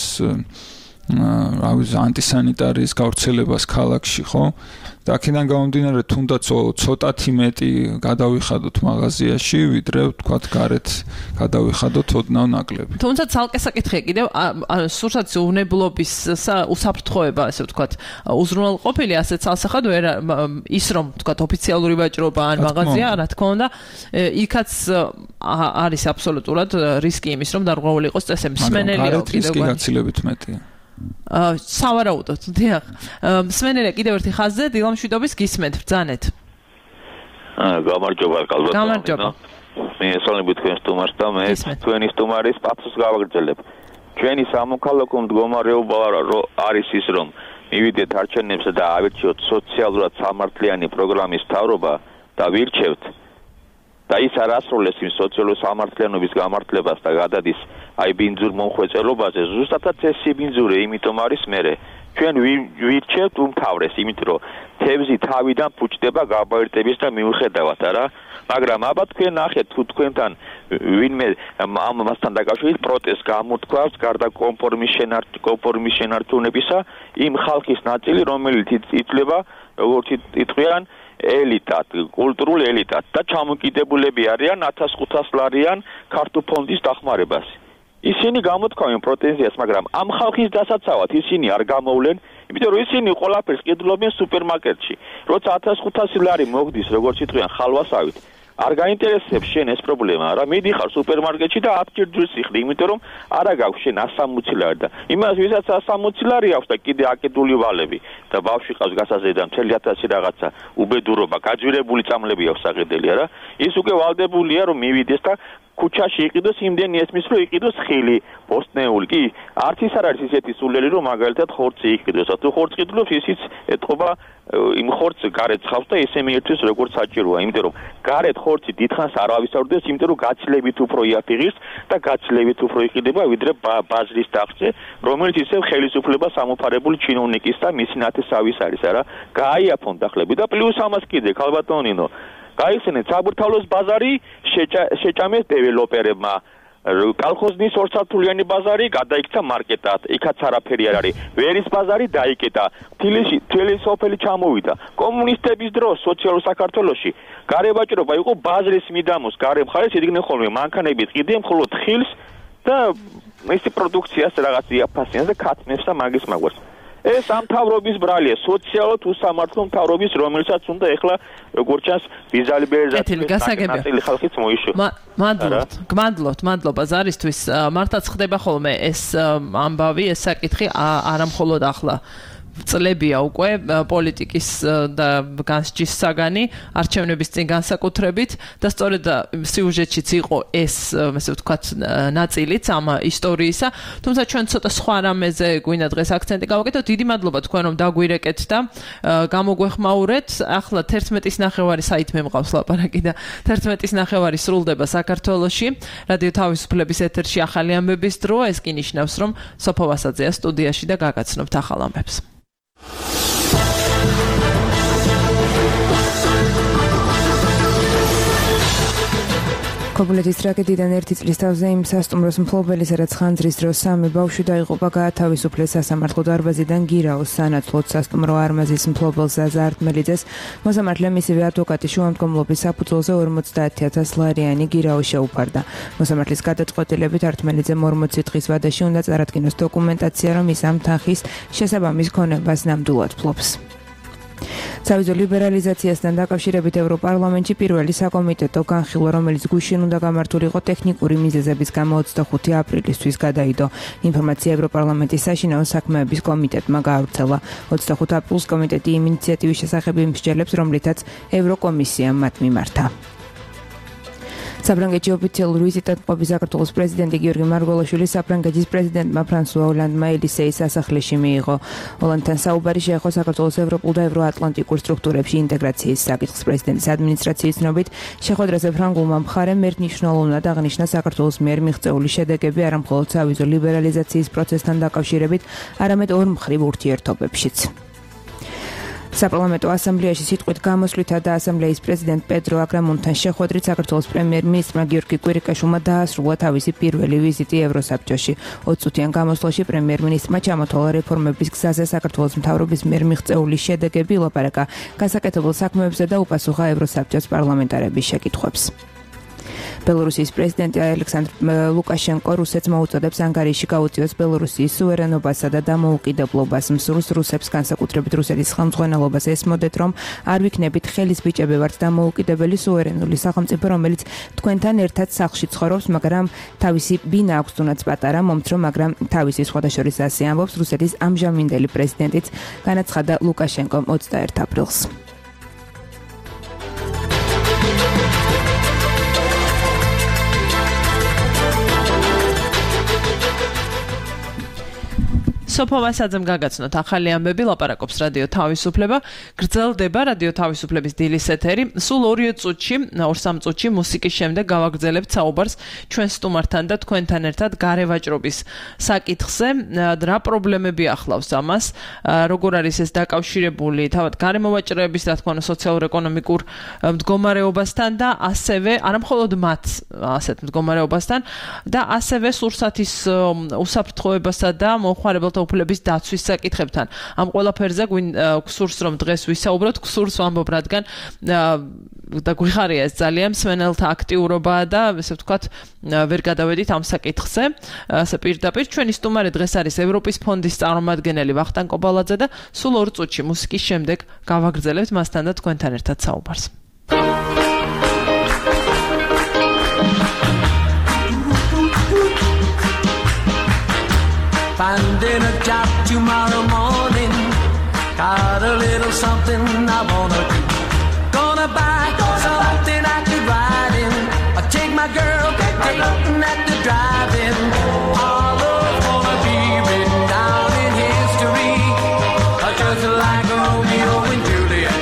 ანტისანიტარიის გავრცელებას ქალაქში, ხო? და აქედან გამომდინარე, თუნდაც ცოტათი მეტი გადავიხადოთ მაღაზიაში, ვიდრე ვთქვათ, გარეთ გადავიხადოთ ოდნავ ნაკლები. თუმცა ცალკე საკითხია კიდევ, სურსათ უნებლობის უსაფრთხოება, ასე ვთქვათ, უზრუნველყოფილი ასეთ ცალსახად ვერ ის რომ ვთქვათ, ოფიციალური ვაჭრობა ან მაღაზია, რა თქმა უნდა, იქაც არის აბსოლუტურად რისკი იმის, რომ დარღვეული იყოს წესები. მსმენელია კიდევ რისკი გაცილებით მეტია. სავარაუდოდ, დიახ. მსმენელია კიდევ ერთი ხაზზე, დილამშვიდობის გისმენთ, ბრძანეთ. გამარჯობა, კალბატონო. გამარჯობა. მე ესალმებით თქვენ სტუმარს და მე თქვენი სტუმარის პათოს გავაგრძელებ. ჩვენი სამოქალაქო მდგომარეობა არის ის, რომ მივიდეთ არჩევნებზე და ავირჩიოთ სოციალურად სამართლიანი პროგრამის მთავრობა და ვირჩევთ და ის არ ასრულებს იმ სოციალური სამართლიანობის გამართლებას და გადადის აი ბინძურ მომხვეწელობაზე, ზუსტადაც ეს ბინძური, იმიტომ არის მერე. ჩვენ ვირჩევთ უმთავრეს, იმიტომ რომ თევზი თავიდან ფუჭდება გაბაირტების და მიუხედავად, არა? მაგრამ აბა თქვენ ნახეთ, თუ თქვენთან ვინმე ამასთან დაკავშირებით პროტესტს გამოთქვას, გარდა კონფორმის შენარჩუნებისა, იმ ხალხის ნაწილი, რომელიც ითვლება, როგორც იტყვიან, ელიტად, კულტურულ ელიტად და ჩამოკიდებულები არიან 1500 ლარიან ქართულ ფონდის დახმარებას. ისინი გამოთქვამენ პრეტენზიას, მაგრამ ამ ხალხის დასაცავად ისინი არ გამოვლენ, იმიტომ რომ ისინი ყველაფერს ყიდულობენ სუპერმარკეტში. როცა 1500 ლარი მოგდის, როგორც იტყვიან, ხალვასავით, არ გაინტერესებს შენ ეს პრობლემა, რა მიდიხარ სუპერმარკეტში და 10 ჯერს იხდი, იმიტომ რომ არა გაქვს შენ 160 ლარი და იმას ვისაც 160 ლარი აქვს და კიდე აკიდული ვალები და ბავშვი ყავს გასაზრდა 1000 რაღაცა უბედურობა, გაძვირებული წამლები აქვს აღედელი, არა? ის უკვე ვალდებულია რომ მივიდეს და ქუჩაში იყიდოს, იმდენი ესმის რომ იყიდოს ხილი, პოსტნეული. კი, არც ის არ არის ისეთი სულელი რომ მაგალითად ხორცი იყიდოს. თუ ხორცს ყიდულობს, ისიც ეთყობა იმ ხორცს გარეთ ხავს და ესე მიერთვეს როგორც საჭიროა, იმიტომ რომ გარეთ ხორცი დიდხანს არ ავისწორდეს, იმიტომ რომ გაცილებით უფრო იაფიღის და გაცილებით უფრო იყიდება, ვიდრე ბაზრის დახჭე, რომელიც ისევ ხელისუფლებას ამოფარებული ჩინოვნიკის და მისი ნათესავის არის, არა? გააიაფონ დახლები და პლუს ამას კიდე ქალბატონინო გაიხსენეთ საბურთალოს ბაზარი შეჭამეს დეველოპერებმა. კალხოზნის ორსართულიანი ბაზარი გადაიქცა მარკეტად, იქაც არაფერი არ არის. ვერის ბაზარი დაიკეტა. თბილისში სოფელი ჩამოვიდა. კომუნისტების დროს სოციალურ საქართველოში გარე ვაჭრობა იყო ბაზრის მიდამოს გარე მხარეს იდგნენ ხოლმე მანქანები ყიდნენ მხოლოდ ხილს და მისი პროდუქციას რაღაც იაფასიანს და ქათმებს და მაგის მაგვარს. ეს ამ მთავრობის ბრალია, სოციალურად უსამართლო მთავრობის, რომელსაც უნდა ეხლა როგორც ჩანს ვიზალიბერიზაციის ნაწილი ხალხიც მოიშოხა. გმადლობთ, მადლობა ზარისთვის. მართლაც ხდება ხოლმე ეს ამბავი, ეს საკითხი არა მხოლოდ ახლა წლებია უკვე პოლიტიკის და განსჯის საგანი არჩევნების წინ განსაკუთრებით და სწორედ სიუჟეტშიც იყო ეს ასე ვთქვათ ნაწილიც ამ ისტორიისა თუმცა ჩვენ ცოტა სხვა რამეზე გვინდა დღეს აქცენტი გავაკეთოთ დიდი მადლობა თქვენ რომ დაგვირეკეთ და გამოგვეხმაურეთ ახლა 11:09 საით მე მყავს ლაპარაკი და 11:09 სრულდება საქართველოში რადიო თავისუფლების ეთერში ახალი ამბების დრო ეს კი ნიშნავს რომ სოფო ვასაძეა სტუდიაში და გაგაცნობთ ახალ ამბებს ქობულეთის ტრაგედიიდან 1 წლის თავზე იმ სასტუმროს მფლობელი, სადაც ხანძრის დროს 3 ბავშვი დაიღუპა, გაათავისუფლეს სასამართლო დარბაზიდან გირაოს სანაცვლოდ სასტუმრო არმაზის მფლობელ ზაზა არტმელიძეს. მოსამართლემ მისივე ადვოკატის შუამდგომლობის საფუძველზე 50,000 ლარიანი გირაო შეუფარდა. მოსამართლის გადაწყვეტილებით არტმელიძემ 40 დღის ვადაში უნდა წარადგინოს დოკუმენტაცია, რომ ის ამ თანხის შესაბამის ქონებას ნამდვილად ფლობს. სავიზო ლიბერალიზაციასთან დაკავშირებით ევროპარლამენტში პირველი საკომიტეტო განხილვა, რომელიც გუშინ უნდა გამართულიყო ტექნიკური მიზეზების გამო 25 აპრილისთვის გადაიდო. ინფორმაცია ევროპარლამენტის საშინაო საქმეების კომიტეტმა გაავრცელა. 25 აპრილს კომიტეტი იმ ინიციატივის შესახებ იმსჯელებს, რომლითაც ევროკომისიამ მათ მიმართა. საფრანგეთში ოფიციალური ვიზიტად მყოფი საქართველოს პრეზიდენტი გიორგი მარგველაშვილი საფრანგეთის პრეზიდენტმა ფრანსუა ოლანდმა ელისეის სასახლეში მიიღო. ოლანდთან საუბარი შეეხო საქართველოს ევროპულ და ევროატლანტიკურ სტრუქტურებში ინტეგრაციის საკითხს. პრეზიდენტის ადმინისტრაციის ცნობით, შეხვედრაზე ფრანგულმა მხარემ ერთნიშნულოვნად აღნიშნა საქართველოს მიერ მიღწეული შედეგები არა მხოლოდ სავიზო ლიბერალიზაციის პროცესთან დაკავშირებით, არამედ ორმხრივ ურთიერთობებშიც. საპარლამენტო ასამბლეაში სიტყვით გამოსვლითა და ასამბლეის პრეზიდენტ პედრო აგრამუნთან შეხვედრით საქართველოს პრემიერ-მინისტრმა გიორგი კვირიკაშვილმა დაასრულა თავისი პირველი ვიზიტი ევროსაბჭოში. 20 წუთიან გამოსვლაში პრემიერ-მინისტრმა ჩამოთვალა რეფორმების გზაზე საქართველოს მთავრობის მიერ მიღწეული შედეგები, ილაპარაკა გასაკეთებელ საქმეებზე და უპასუხა ევროსაბჭოს პარლამენტარების შეკითხვებს. ბელორუსიის პრეზიდენტი ალექსანდრ ლუკაშენკო რუსეთს მოუწოდებს ანგარიში გაუწიოს ბელორუსიის სუვერენობასა და დამოუკიდებლობას. მსურს რუსებს განსაკუთრებით რუსეთის ხელმძღვანელობას ესმოდეთ, რომ არ ვიქნებით ხელის ბიჭები ვართ დამოუკიდებელი სუვერენული სახელმწიფო, რომელიც თქვენთან ერთად სახლში ცხოვრობს, მაგრამ თავისი ბინა აქვს თუნდაც პატარა, მომცრო, მაგრამ თავისი სხვადასხვა ასე ამბობს რუსეთის ამჟამინდელი პრეზიდენტიც, განაცხადა ლუკაშენკომ 21 აპრილს. სოფო ვასაძემ გაგაცნოთ ახალი ამბები, ლაპარაკობს რადიო თავისუფლება, გრძელდება რადიო თავისუფლების დილის ეთერი. სულ 2-3 წუთში მუსიკის შემდეგ გავაგრძელებთ საუბარს ჩვენ სტუმართან და თქვენთან ერთად გარევაჭრობის საკითხზე. რა პრობლემები ახლავს ამას, როგორ არის ეს დაკავშირებული თავად გარემოვაჭრეების, რა თქმა უნდა, სოციალურ-ეკონომიკურ მდგომარეობასთან და ასევე არამხოლოდ მათ ასეთ მდგომარეობასთან და ასევე სურსათის უსაფრთხოებასა და მომხმარებელთა უფლების დაცვის საკითხებთან. ამ ყველაფერზე გსურს რომ დღეს ვისაუბროთ, გსურს ვამბობ, რადგან და გვიხარია ეს ძალიან მსმენელთა აქტიურობაა და ესე ვთქვათ, ვერ გადავედით ამ საკითხზე. ასე პირდაპირ ჩვენი სტუმარი დღეს არის ევროპის ფონდის წარმომადგენელი ვახტანგ კობალაძე და სულ 2 წუთში მუსიკის შემდეგ გავაგრძელებთ მასთან და თქვენთან ერთად საუბარს. Finding a job tomorrow morning, got a little something I wanna do. Gonna buy something I could ride in. I take my girl, dating at the drive-in. Our love's gonna be written down in history, just like Romeo and Juliet.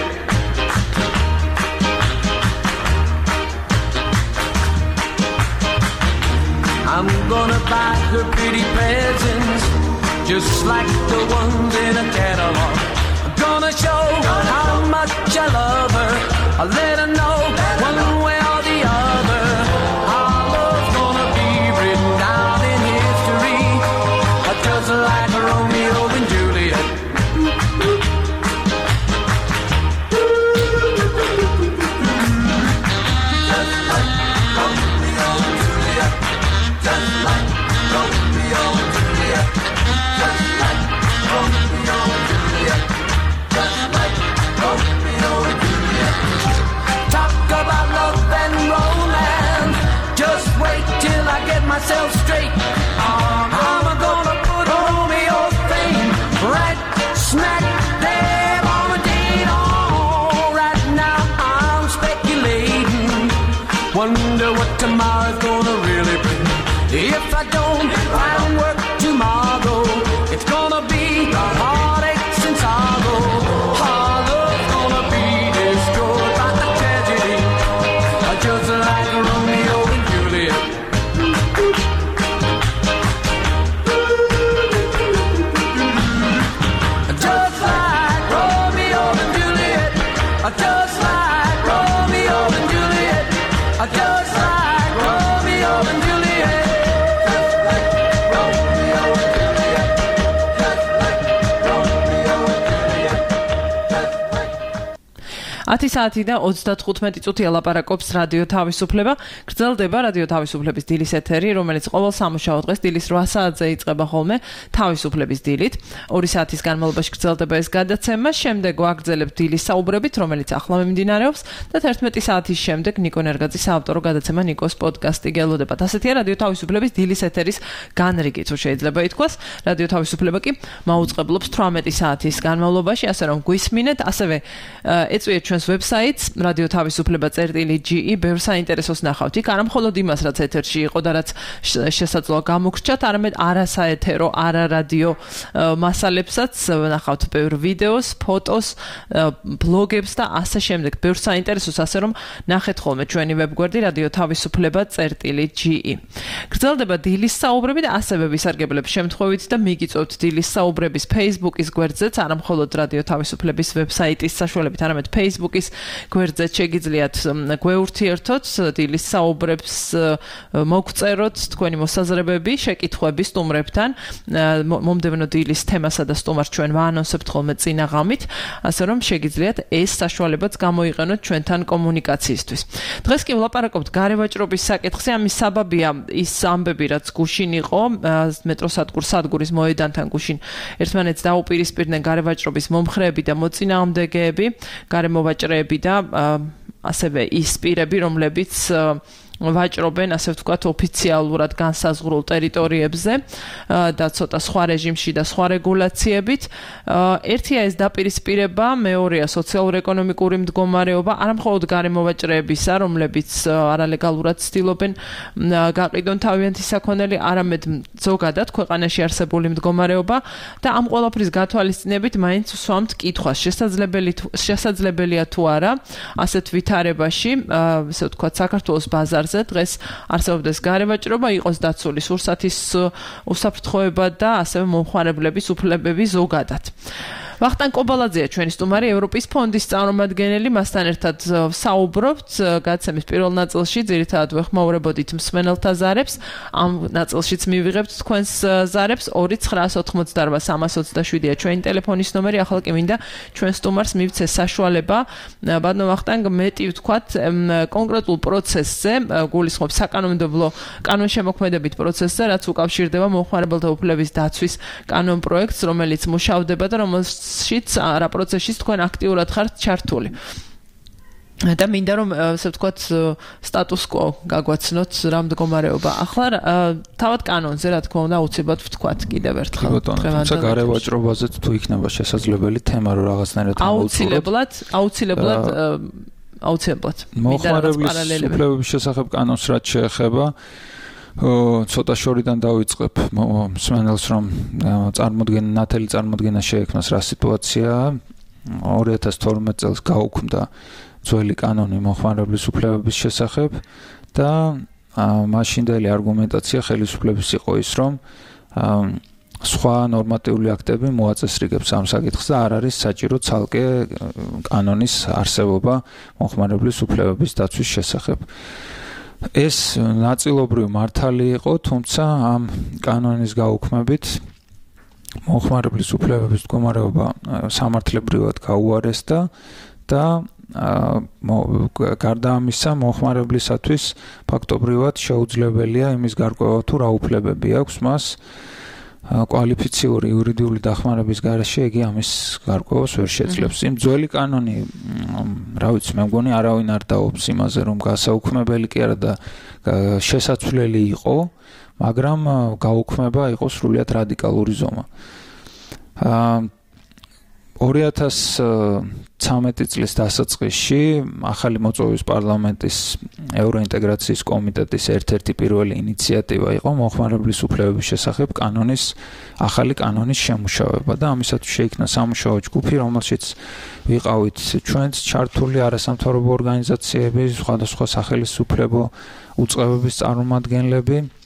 I'm gonna buy her pretty presents, just like the ones in a catalog. I'm gonna show how much I love her. I'll let her know one way or the other. Our love's gonna be written down in history, just like Romeo and Juliet. Just like Romeo and Juliet. Just like Romeo and Juliet. Just like Romeo and Juliet. Just like Romeo and Juliet. Top tomorrow's gonna really bring. If I don't find work tomorrow, it's gonna be heartaches and sorrow. Our love's gonna be destroyed by the tragedy, just like Romeo and Juliet. Just like Romeo and Juliet. Just like Romeo and Juliet. Just like Romeo and Juliet. Just like Romeo and Juliet. Just like Romeo and Juliet. Just like 10 საათი და 35 წუთია ლაპარაკობს რადიო თავისუფლება. გრძელდება რადიო თავისუფლების დილის ეთერი, რომელიც ყოველ სამუშაო დღეს დილის 8 საათზე იწყება ხოლმე თავისუფლების დილით. 2 საათის განმავლობაში გრძელდება ეს გადაცემა, შემდეგ ვაგრძელებთ დილის საუბრებით, რომელიც ახლა მიმდინარეობს და 11 საათის შემდეგ ნიკო ნერგაძის საავტორო გადაცემა ნიკოს პოდკასტი გელოდებათ. ასეთია რადიო თავისუფლების დილის ეთერის განრიგი, თუ შეიძლება ითქვას. რადიო თავისუფლება კი მაუწყებლობს 18 საათის განმავლობაში, ასე რომ გვისმინეთ, ასევე ეწვიეთ ჩვენს ვებსაიტს radio.tavisufleba.ge ბევრ საინტერესოს ნახავთ. იქ არა მხოლოდ იმას, რაც ეთერში იყო და რაც შესაძლოა გამოგრჩათ, არამედ არასაეთერო, არარადიო მასალებსაც ნახავთ, ბევრ ვიდეოს, ფოტოს, ბლოგებს და ასე შემდეგ. ბევრ საინტერესოს, ასე რომ ნახეთ ხოლმე ჩვენი ვებგვერდი radio.tavisufleba.ge. გრძელდება დილის საუბრები და ასევე ვისარგებლებ შემთხვევით და მიგიწევთ დილის საუბრების Facebook-ის გვერდზეც, არა მხოლოდ რადიო თავისუფლების ვებსაიტის საშუალებით, არამედ Facebook-ის გვერდზეც შეგიძლიათ გვეურთიერთოთ, დილის საუბრებს მოგწეროთ თქვენი მოსაზრებები, შეკითხვები სტუმრებთან, მომდევნო დილის თემასა და სტუმარს ჩვენ ვაანონსებთ ხოლმე წინა ღამით, ასე რომ შეგიძლიათ ეს საშუალებაც გამოიყენოთ ჩვენთან კომუნიკაციისთვის. დღეს კი ვლაპარაკობთ გარევაჭრობის საკითხზე, ამის საბაბია ის ამბები, რაც გუშინ იყო, მეტროსადგურ სადგურის მოედანთან გუშინ ერთმანეთს დაუპირისპირდნენ გარევაჭრობის მომხრეები და მოწინააღმდეგეები, გარემოვაჭრეები და ასევე ის პირები, რომლებიც ვაჭრობენ, ასე ვთქვათ, ოფიციალურად განსაზღვრულ ტერიტორიებზე და ცოტა სხვა რეჟიმში და სხვა რეგულაციებით. ერთია ეს დაპირისპირება, მეორეა სოციალურ-ეკონომიკური მდგომარეობა, არა მხოლოდ გარემოვაჭრეებისა, რომლებიც არალეგალურად ცდილობენ გაყიდონ თავიანთი საქონელი, არამედ ზოგადად ქვეყანაში არსებული მდგომარეობა და ამ ყველაფრის გათვალისწინებით მაინც ვსვამთ კითხვას, შესაძლებელია თუ არა ასეთ ვითარებაში, ასე ვთქვათ, საქართველოს ბაზარზე დღეს არსებობდეს გარევაჭრობა, იყოს დაცული სურსათის უსაფრთხოება და ასევე მომხმარებლების უფლებები ზოგადად. ვახტანგ კობალაძეა ჩვენი სტუმარი, ევროპის ფონდის წარმომადგენელი, მასთან ერთად საუბრობთ გადაცემის პირველ ნაწილში, ძირითადად ვეხმაურებოდით მსმენელთა ზარებს, ამ ნაწილშიც მივიღებთ თქვენს ზარებს, 2988327-ია ჩვენი ტელეფონის ნომერი, ახლა კი მინდა ჩვენ სტუმარს მივცე საშუალება, ბატონო ვახტანგ, მეტი ვთქვათ, კონკრეტულ პროცესზე, გულისხმობ საკანონმდებლო კანონშემოქმედებით პროცესზე, რაც უკავშირდება მომხმარებელთა უფლების დაცვის კანონპროექტს, რომელიც მუშავდება და რომელშიც რა პროცესშიც თქვენ აქტიურად ხართ ჩართული. და მინდა რომ ასე ვთქვათ სტატუს quo გაგვაცნოთ რა მდგომარეობა. ახლა თავად კანონზე რა თქმა უნდა აუცილებლად ვთქვათ კიდევ ერთხელ. თუმცა გარევაჭრობაზეც თუ იქნება შესაძლებელი თემა რომ რაღაცნაირად აუცილებლად მომხმარებლის უფლებების შესახებ კანონს რაც შეეხება ცოტა შორიდან დავიწყებ მსმენელს რომ ნათელი წარმოდგენა შეექმნას რა სიტუაციაა. 2012 წელს გაუქმდა ძველი კანონი მომხმარებლის უფლებების შესახებ და მაშინდელი არგუმენტაცია ხელისუფლების იყო ის რომ სხვა ნორმატიული აქტები მოაწესრიგებს ამ საკითხს და არ არის საჭირო ცალკე კანონის არსებობა მომხმარებლის უფლებების დაცვის შესახებ. ეს ნაწილობრივ მართალი იყო, თუმცა ამ კანონის გაუქმებით მომხმარებლის უფლებების მდგომარეობა სამართლებრივად გაუარესდა და გარდა ამისა მომხმარებლისათვის ფაქტობრივად შეუძლებელია იმის გარკვევა თუ რა უფლებები აქვს მას კვალიფიციური იურიდიული დახმარების გარეშე იგი ამის გარკვევას ვერ შეძლებს. იმ ძველი კანონი, რა ვიცი, მე მგონი არავინ არ დაობს იმაზე, რომ გასაუქმებელი კი არა და შესაძლებელი იყო, მაგრამ გაუქმება იყო სრულიად რადიკალური ზომა. 2013 წლის დასაწყისში ახალი მოწვევის პარლამენტის ევროინტეგრაციის კომიტეტის ერთ-ერთი პირველი ინიციატივა იყო მოხმარებლის უფლებების შესახებ ახალი კანონის შემუშავება და ამისათვის შეიქმნა სამუშაო ჯგუფი, რომელშიც ვიყავით ჩვენც ჩართული არასამთავრობო ორგანიზაციები, სხვადასხვა სახელმწიფო უწყებების წარმომადგენლები,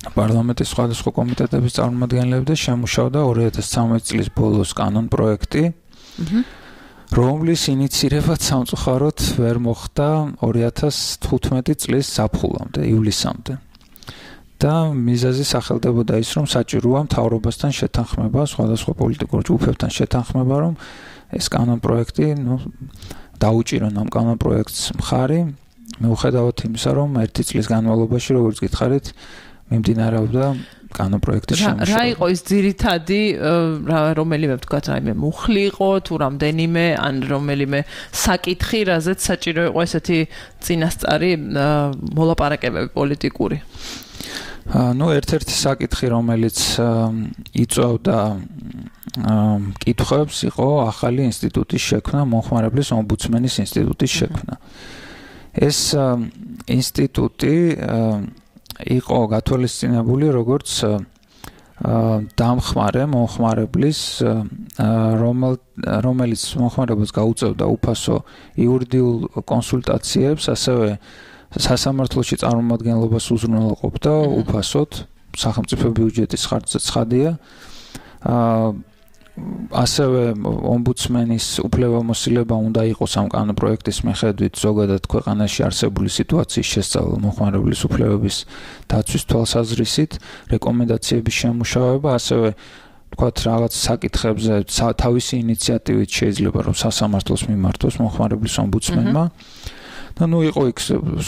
პარლამენტის სხვადასხვა კომიტეტების წარმომადგენლები და შემუშავდა 2013 წლის ბოლოს კანონ პროექტი, რომლის ინიცირებაც სამწუხაროდ ვერ მოხდა 2015 წლის ზაფხულამდე, ივლისამდე. და მიზეზი სახელდებოდა ის, რომ საჭიროა მთავრობასთან შეთანხმება, სხვადასხვა პოლიტიკურ ჯგუფებთან შეთანხმება, რომ ეს კანონ პროექტი, დაუჭირონ ამ კანონ პროექტს მხარი, მიუხედავად იმისა, რომ 1 წლის განმავლობაში, როგორც გითხარით, მიმდინარეობდა კანონ პროექტის შემუშავება. რა იყო ის ძირითადი, რომელიმე ვთქვათ, რაიმე მუხლი იყო, თუ რამდენიმე, ან რომელიმე საკითხი, რაზეც საჭირო იყო ესეთი წინასწარი მოლაპარაკებები პოლიტიკური? ერთ-ერთი საკითხი, რომელიც იწვევდა კითხვებს, იყო ახალი ინსტიტუტის შექმნა, მოხმარებლის ომბუდსმენის ინსტიტუტის შექმნა. ეს ინსტიტუტი იყო გათვალისწინებული როგორც დამხმარე მომხმარებლის, რომელიც მომხმარებელს გაუწევდა უფასო იურიდიულ კონსულტაციებს, ასევე სასამართლოში წარმომადგენლობას უზრუნველყოფდა უფასოდ, სახელმწიფო ბიუჯეტის ხარჯზე ცხადია. ასევე ომბუდსმენის უფლებამოსილება უნდა იყოს ამ კანონ პროექტის მიხედვით ზოგადად ქვეყანაში არსებული სიტუაციის შესწავლა მომხმარებლის უფლებების დაცვის თვალსაზრისით, რეკომენდაციების შემუშავება, ასევე თქვათ რაღაც საკითხებზე თავისი ინიციატივით შეიძლება რომ სასამართლოს მიმართოს მომხმარებლის ომბუდსმენმა. და იყო იქ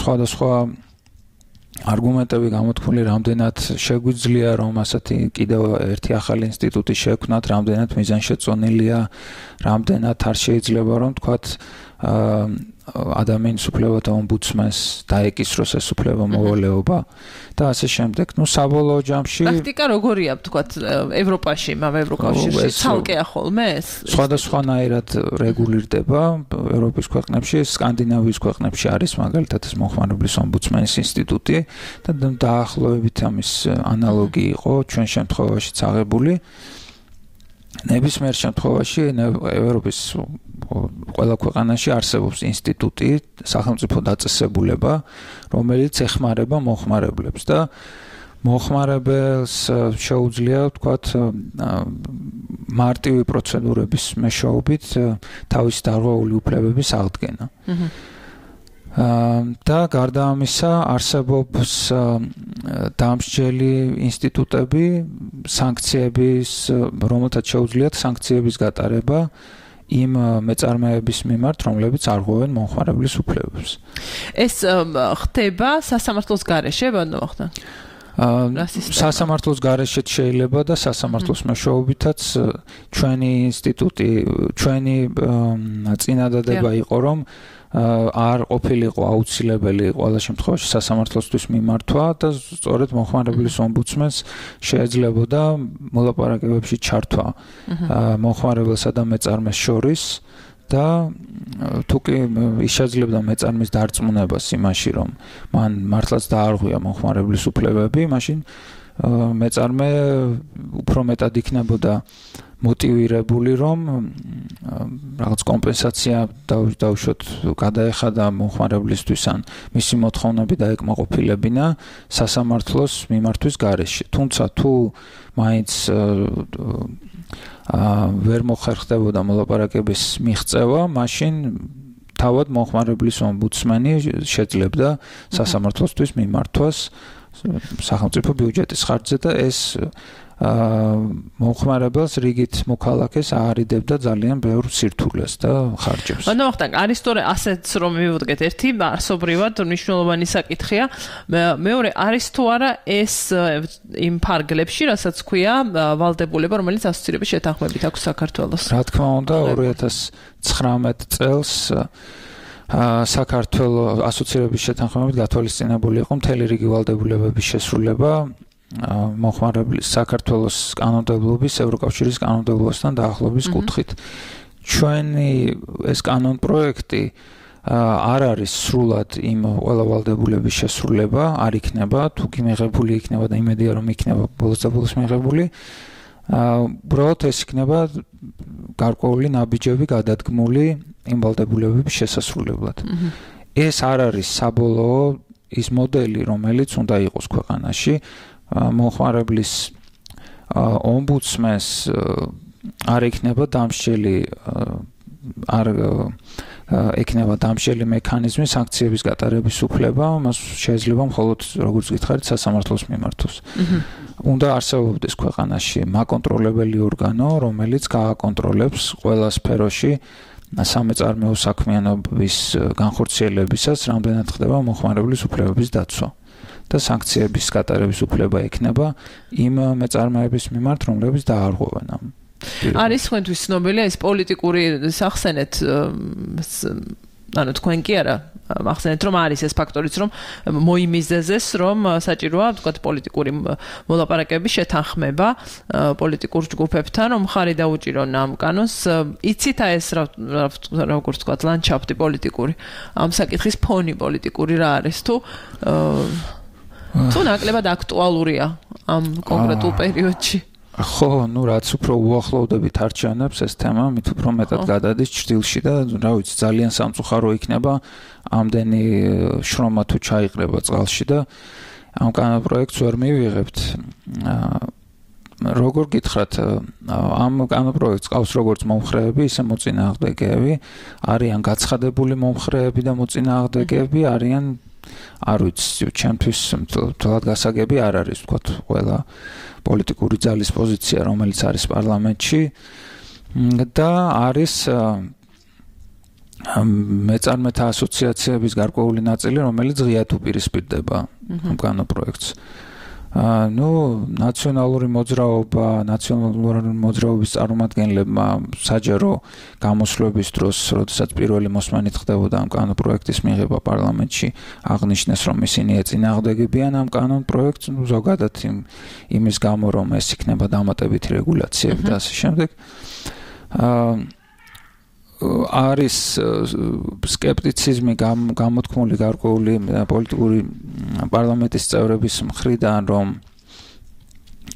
სხვადასხვა არგუმენტები გამოთქმული, რამდენად შეგვიძლია რომ ასეთი კიდევ ერთი ახალი ინსტიტუტი შექმნათ, რამდენად მიზანშეწონილია, რამდენად არ შეიძლება რომ თქვათ ადამიანის უფლებათა ომბუდსმენს დაეკისროს ეს უფლებამოვალეობა და ასე შემდეგ. საბოლოო ჯამში პრაქტიკა როგორია, თქვათ, ევროპაში, ევროკავშირში ცალკეა ხოლმე ეს? სხვადასხვანაირად რეგულირდება ევროპის ქვეყნებში, სკანდინავიის ქვეყნებში არის მაგალითად ეს მოხმარებლის ომბუდსმენის ინსტიტუტი და დაახლოებით ამის ანალოგი იყო ჩვენ შემთხვევაშიც აღებული. ნებისმიერ შემთხვევაში ევროპის ყველა ქვეყანაში არსებობს ინსტიტუტი, სახელმწიფო დაწესებულება, რომელიც ეხმარება მომხმარებლებს და მომხმარებელს შეუძლია, ვთქვათ, მარტივი პროცედურების მეშვეობით თავისი დარღვეული უფლებების აღდგენა. და გარდა ამისა არსებობს დამსჯელი ინსტიტუტები, სანქციების, რომელთაც შეუძლიათ სანქციების გატარება იმ მეწარმეების მიმართ, რომლებიც არღვევენ მომხმარებლის უფლებებს. ეს ხდება სასამართლოს გარეშე, ბატონო ვახტანგ? სასამართლოს გარეშეც შეიძლება და სასამართლოს მეშვეობითაც ჩვენი ინსტიტუტი, ჩვენი წინადადება იყო, რომ არ ყოფილიყო აუცილებელი ყველა შემთხვევაში სასამართლოსთვის მიმართვა და სწორედ მომხმარებლის ომბუდსმენს შეეძლებოდა მოლაპარაკებებში ჩართვა მომხმარებელსა და მეწარმეს შორის და თუკი შეძლებდა მეწარმის დარწმუნებას იმაში, რომ მან მართლაც დაარღვია მომხმარებლის უფლებები, მაშინ მეწარმე უფრო მეტად იქნებოდა მოტივირებული, რომ რაღაც კომპენსაცია დაუშვათ გადაეხადა მომხმარებლისთვის ან მისი მოთხოვნები დაეკმაყოფილებინა სასამართლოს მიმართვის გარეშე. თუმცა თუ მაინც ვერ მოხერხდებოდა მოლაპარაკების მიღწევა, მაშინ თავად მომხმარებლის ომბუდსმენი შეძლებდა სასამართლოსთვის მიმართვას სახელმწიფო ბიუჯეტის ხარჯზე და ეს მომხმარებელს რიგით მოქალაქეს აარიდებდა ძალიან ბევრ სირთულეს და ხარჯებს. ბატონო ვახტანგ, არის თორე ასეც რომ მივუდგეთ, ერთი არსობრივად მნიშვნელოვანი საკითხია, მეორე არის თუ არა ეს იმ ფარგლებში, რასაც ქვია ვალდებულება, რომელიც ასოცირების შეთანხმებით აქვს საქართველოს. რა თქმა უნდა, 2019 წელს საქართველოს ასოცირების შეთანხმებით გათვალისწინებული იყო მთელი რიგი ვალდებულებების შესრულება, მოხმარებლის საქართველოს კანონმდებლობის ევროკავშირის კანონმდებლობასთან დაახლოების კუთხით. ჩვენი ეს კანონპროექტი არ არის სრულად იმ ყველა ვალდებულების შესრულება, არ იქნება, თუ კი მიღებული იქნება და იმედია რომ იქნება ბოლოს და ბოლოს მიღებული. უბრალოდ ეს იქნება გარკვეული ნაბიჯები გადადგმული იმ ვალდებულებების შესასრულებლად. ეს არ არის საბოლოო ის მოდელი, რომელიც უნდა იყოს ქვეყანაში. მოხმარებლის ომბუდსმენს არ იქნება დამსჯელი არ ექნება დამსჯელი მექანიზმი სანქციების გატარების უფლება, მას შეიძლება მხოლოდ როგორც გითხარით სასამართლოს მიმართოს. უნდა არსებობდეს ქვეყანაში მაკონტროლებელი ორგანო, რომელიც გააკონტროლებს ყველა სფეროში სამეწარმეო საქმიანობის განხორციელებისას, რამდენად ხდება მოხმარებლის უფლებების დაცვა და სანქციების გატარების უფლება ექნება იმ მეწარმეების მიმართ, რომლებიც დაარღვევენ ამ. არის თქვენთვის ცნობილია ეს პოლიტიკური სახსენეთ, ანუ თქვენ კი არა ახსენეთ რომ არის ეს ფაქტორიც რომ მოიმიზეზეს რომ საჭიროა თქვათ პოლიტიკური მოლაპარაკებების შეთანხმება პოლიტიკურ ჯგუფებთან რომ ხარი დაუჭირონ ამ კანონს იცით ეს როგორც თქვათ ლანდშაფტი პოლიტიკური ამ საკითხის ფონი პოლიტიკური რა არის თუ ნაკლებად აქტუალურია ამ კონკრეტულ პერიოდში ხო, ну რაც უფრო უახლოვდებით არჩევნებს ეს თემა, მით უფრო მეტად გადადის ჭრილში და რა ვიცი, ძალიან სამწუხარო იქნება ამდენი შრომა თუ ჩაიყრება წყალში და ამ კანონპროექტს ვერ მივიღებთ. როგორ გითხრათ, ამ კანონპროექტს ყავს როგორც მომხრეები, ისე მოწინააღმდეგეები, არიან გაცხადებული მომხრეები და მოწინააღმდეგეები, არიან არ ვიცი, ჩემთვის თვალად გასაგები არ არის, ვთქვათ, ყველა პოლიტიკური ძალის პოზიცია, რომელიც არის პარლამენტში და არის მეწარმეთა ასოციაციების გარკვეული ნაწილი, რომელიც ღიად უპირისპირდება ამ კანონპროექტს. ნაციონალური მოძრაობა, ნაციონალური მოძრაობის წარმომადგენლებმა საჯარო გამოსვლების დროს, როდესაც პირველი მოსმენით ხდებოდა ამ კანონპროექტის მიღება პარლამენტში, აღნიშნეს, რომ ისინი ეწინააღმდეგებიან ამ კანონპროექტს, ზოგადად იმის გამო, რომ ეს იქნება დამატებითი რეგულაციები და ასე შემდეგ. არის სკეპტიციზმი გამოთქმული გარკვეული პოლიტიკური პარლამენტის წევრების მხრიდან, რომ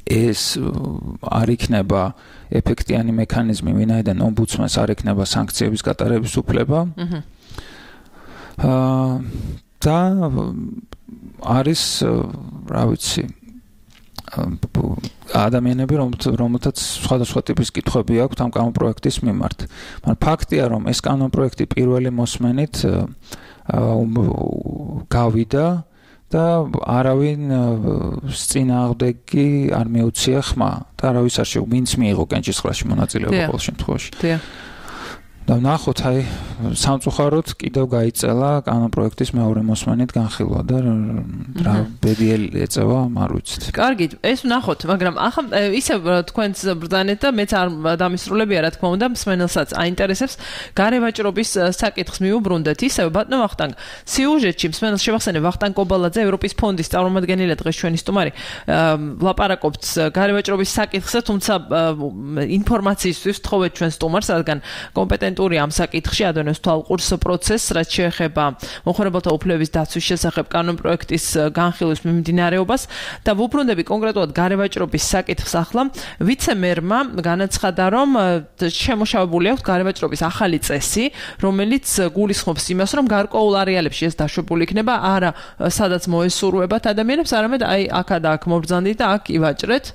ეს არ იქნება ეფექტიანი მექანიზმი, ვინაიდან ომბუდსმენს არ იქნება სანქციების გატარების უფლება. და არის, რა ვიცი, ადამიანები, რომელთაც სხვადასხვა ტიპის კითხვები აქვთ ამ კანონპროექტის მიმართ. მაგრამ ფაქტია, რომ ეს კანონპროექტი პირველი მოსმენით გავიდა და არავინ წინააღმდეგი არ მიუცია ხმა და არავის არ შეუძლია, ვინც მიიღო კენჭისყრაში მონაწილეობა ყოველ შემთხვევაში. და ნახოთ, აი, სამწუხაროდ კიდევ გაიწელა კანონპროექტის მეორე მოსმენით განხილვა და რა ბედიელი ეწევა, არ ვიცით. კარგი, ეს ვნახოთ, მაგრამ ახლა ისევ თქვენს ბრძანეთ და მეც არ დამისრულებია, რა თქმა უნდა, მსმენელსაც აინტერესებს გარევაჭრობის საკითხს მიუბრუნდეთ. ისევ ბატონო ვახტანგ, სიუჟეტში მსმენელს შევახსენებ ვახტანგ კობალაძე, ევროპის ფონდის წარმომადგენელი დღეს ჩვენი სტუმარი, ლაპარაკობთ გარევაჭრობის საკითხზე, თუმცა ინფორმაციისთვის ვთხოვეთ ჩვენ სტუმარს, რადგან კომპეტენტური ამ საკითხში ადონებს თვალყურს პროცესს, რაც შეეხება მოხმარებელთა უფლებების დაცვის შესახებ კანონპროექტის განხილვის მიმდინარეობას და ვუბრუნდები კონკრეტულად გარევაჭრობის საკითხს ახლა. ვიცე-მერმა განაცხადა, რომ შემოშავებული აქვს გარევაჭრობის ახალი წესი, რომელიც გულისხმობს იმას, რომ გარკვეულ არეალებში ეს დაშვებული იქნება, არა სადაც მოესურვებათ ადამიანებს, არამედ აი აქა და აქ მობრძანდით და აქ ივაჭრეთ.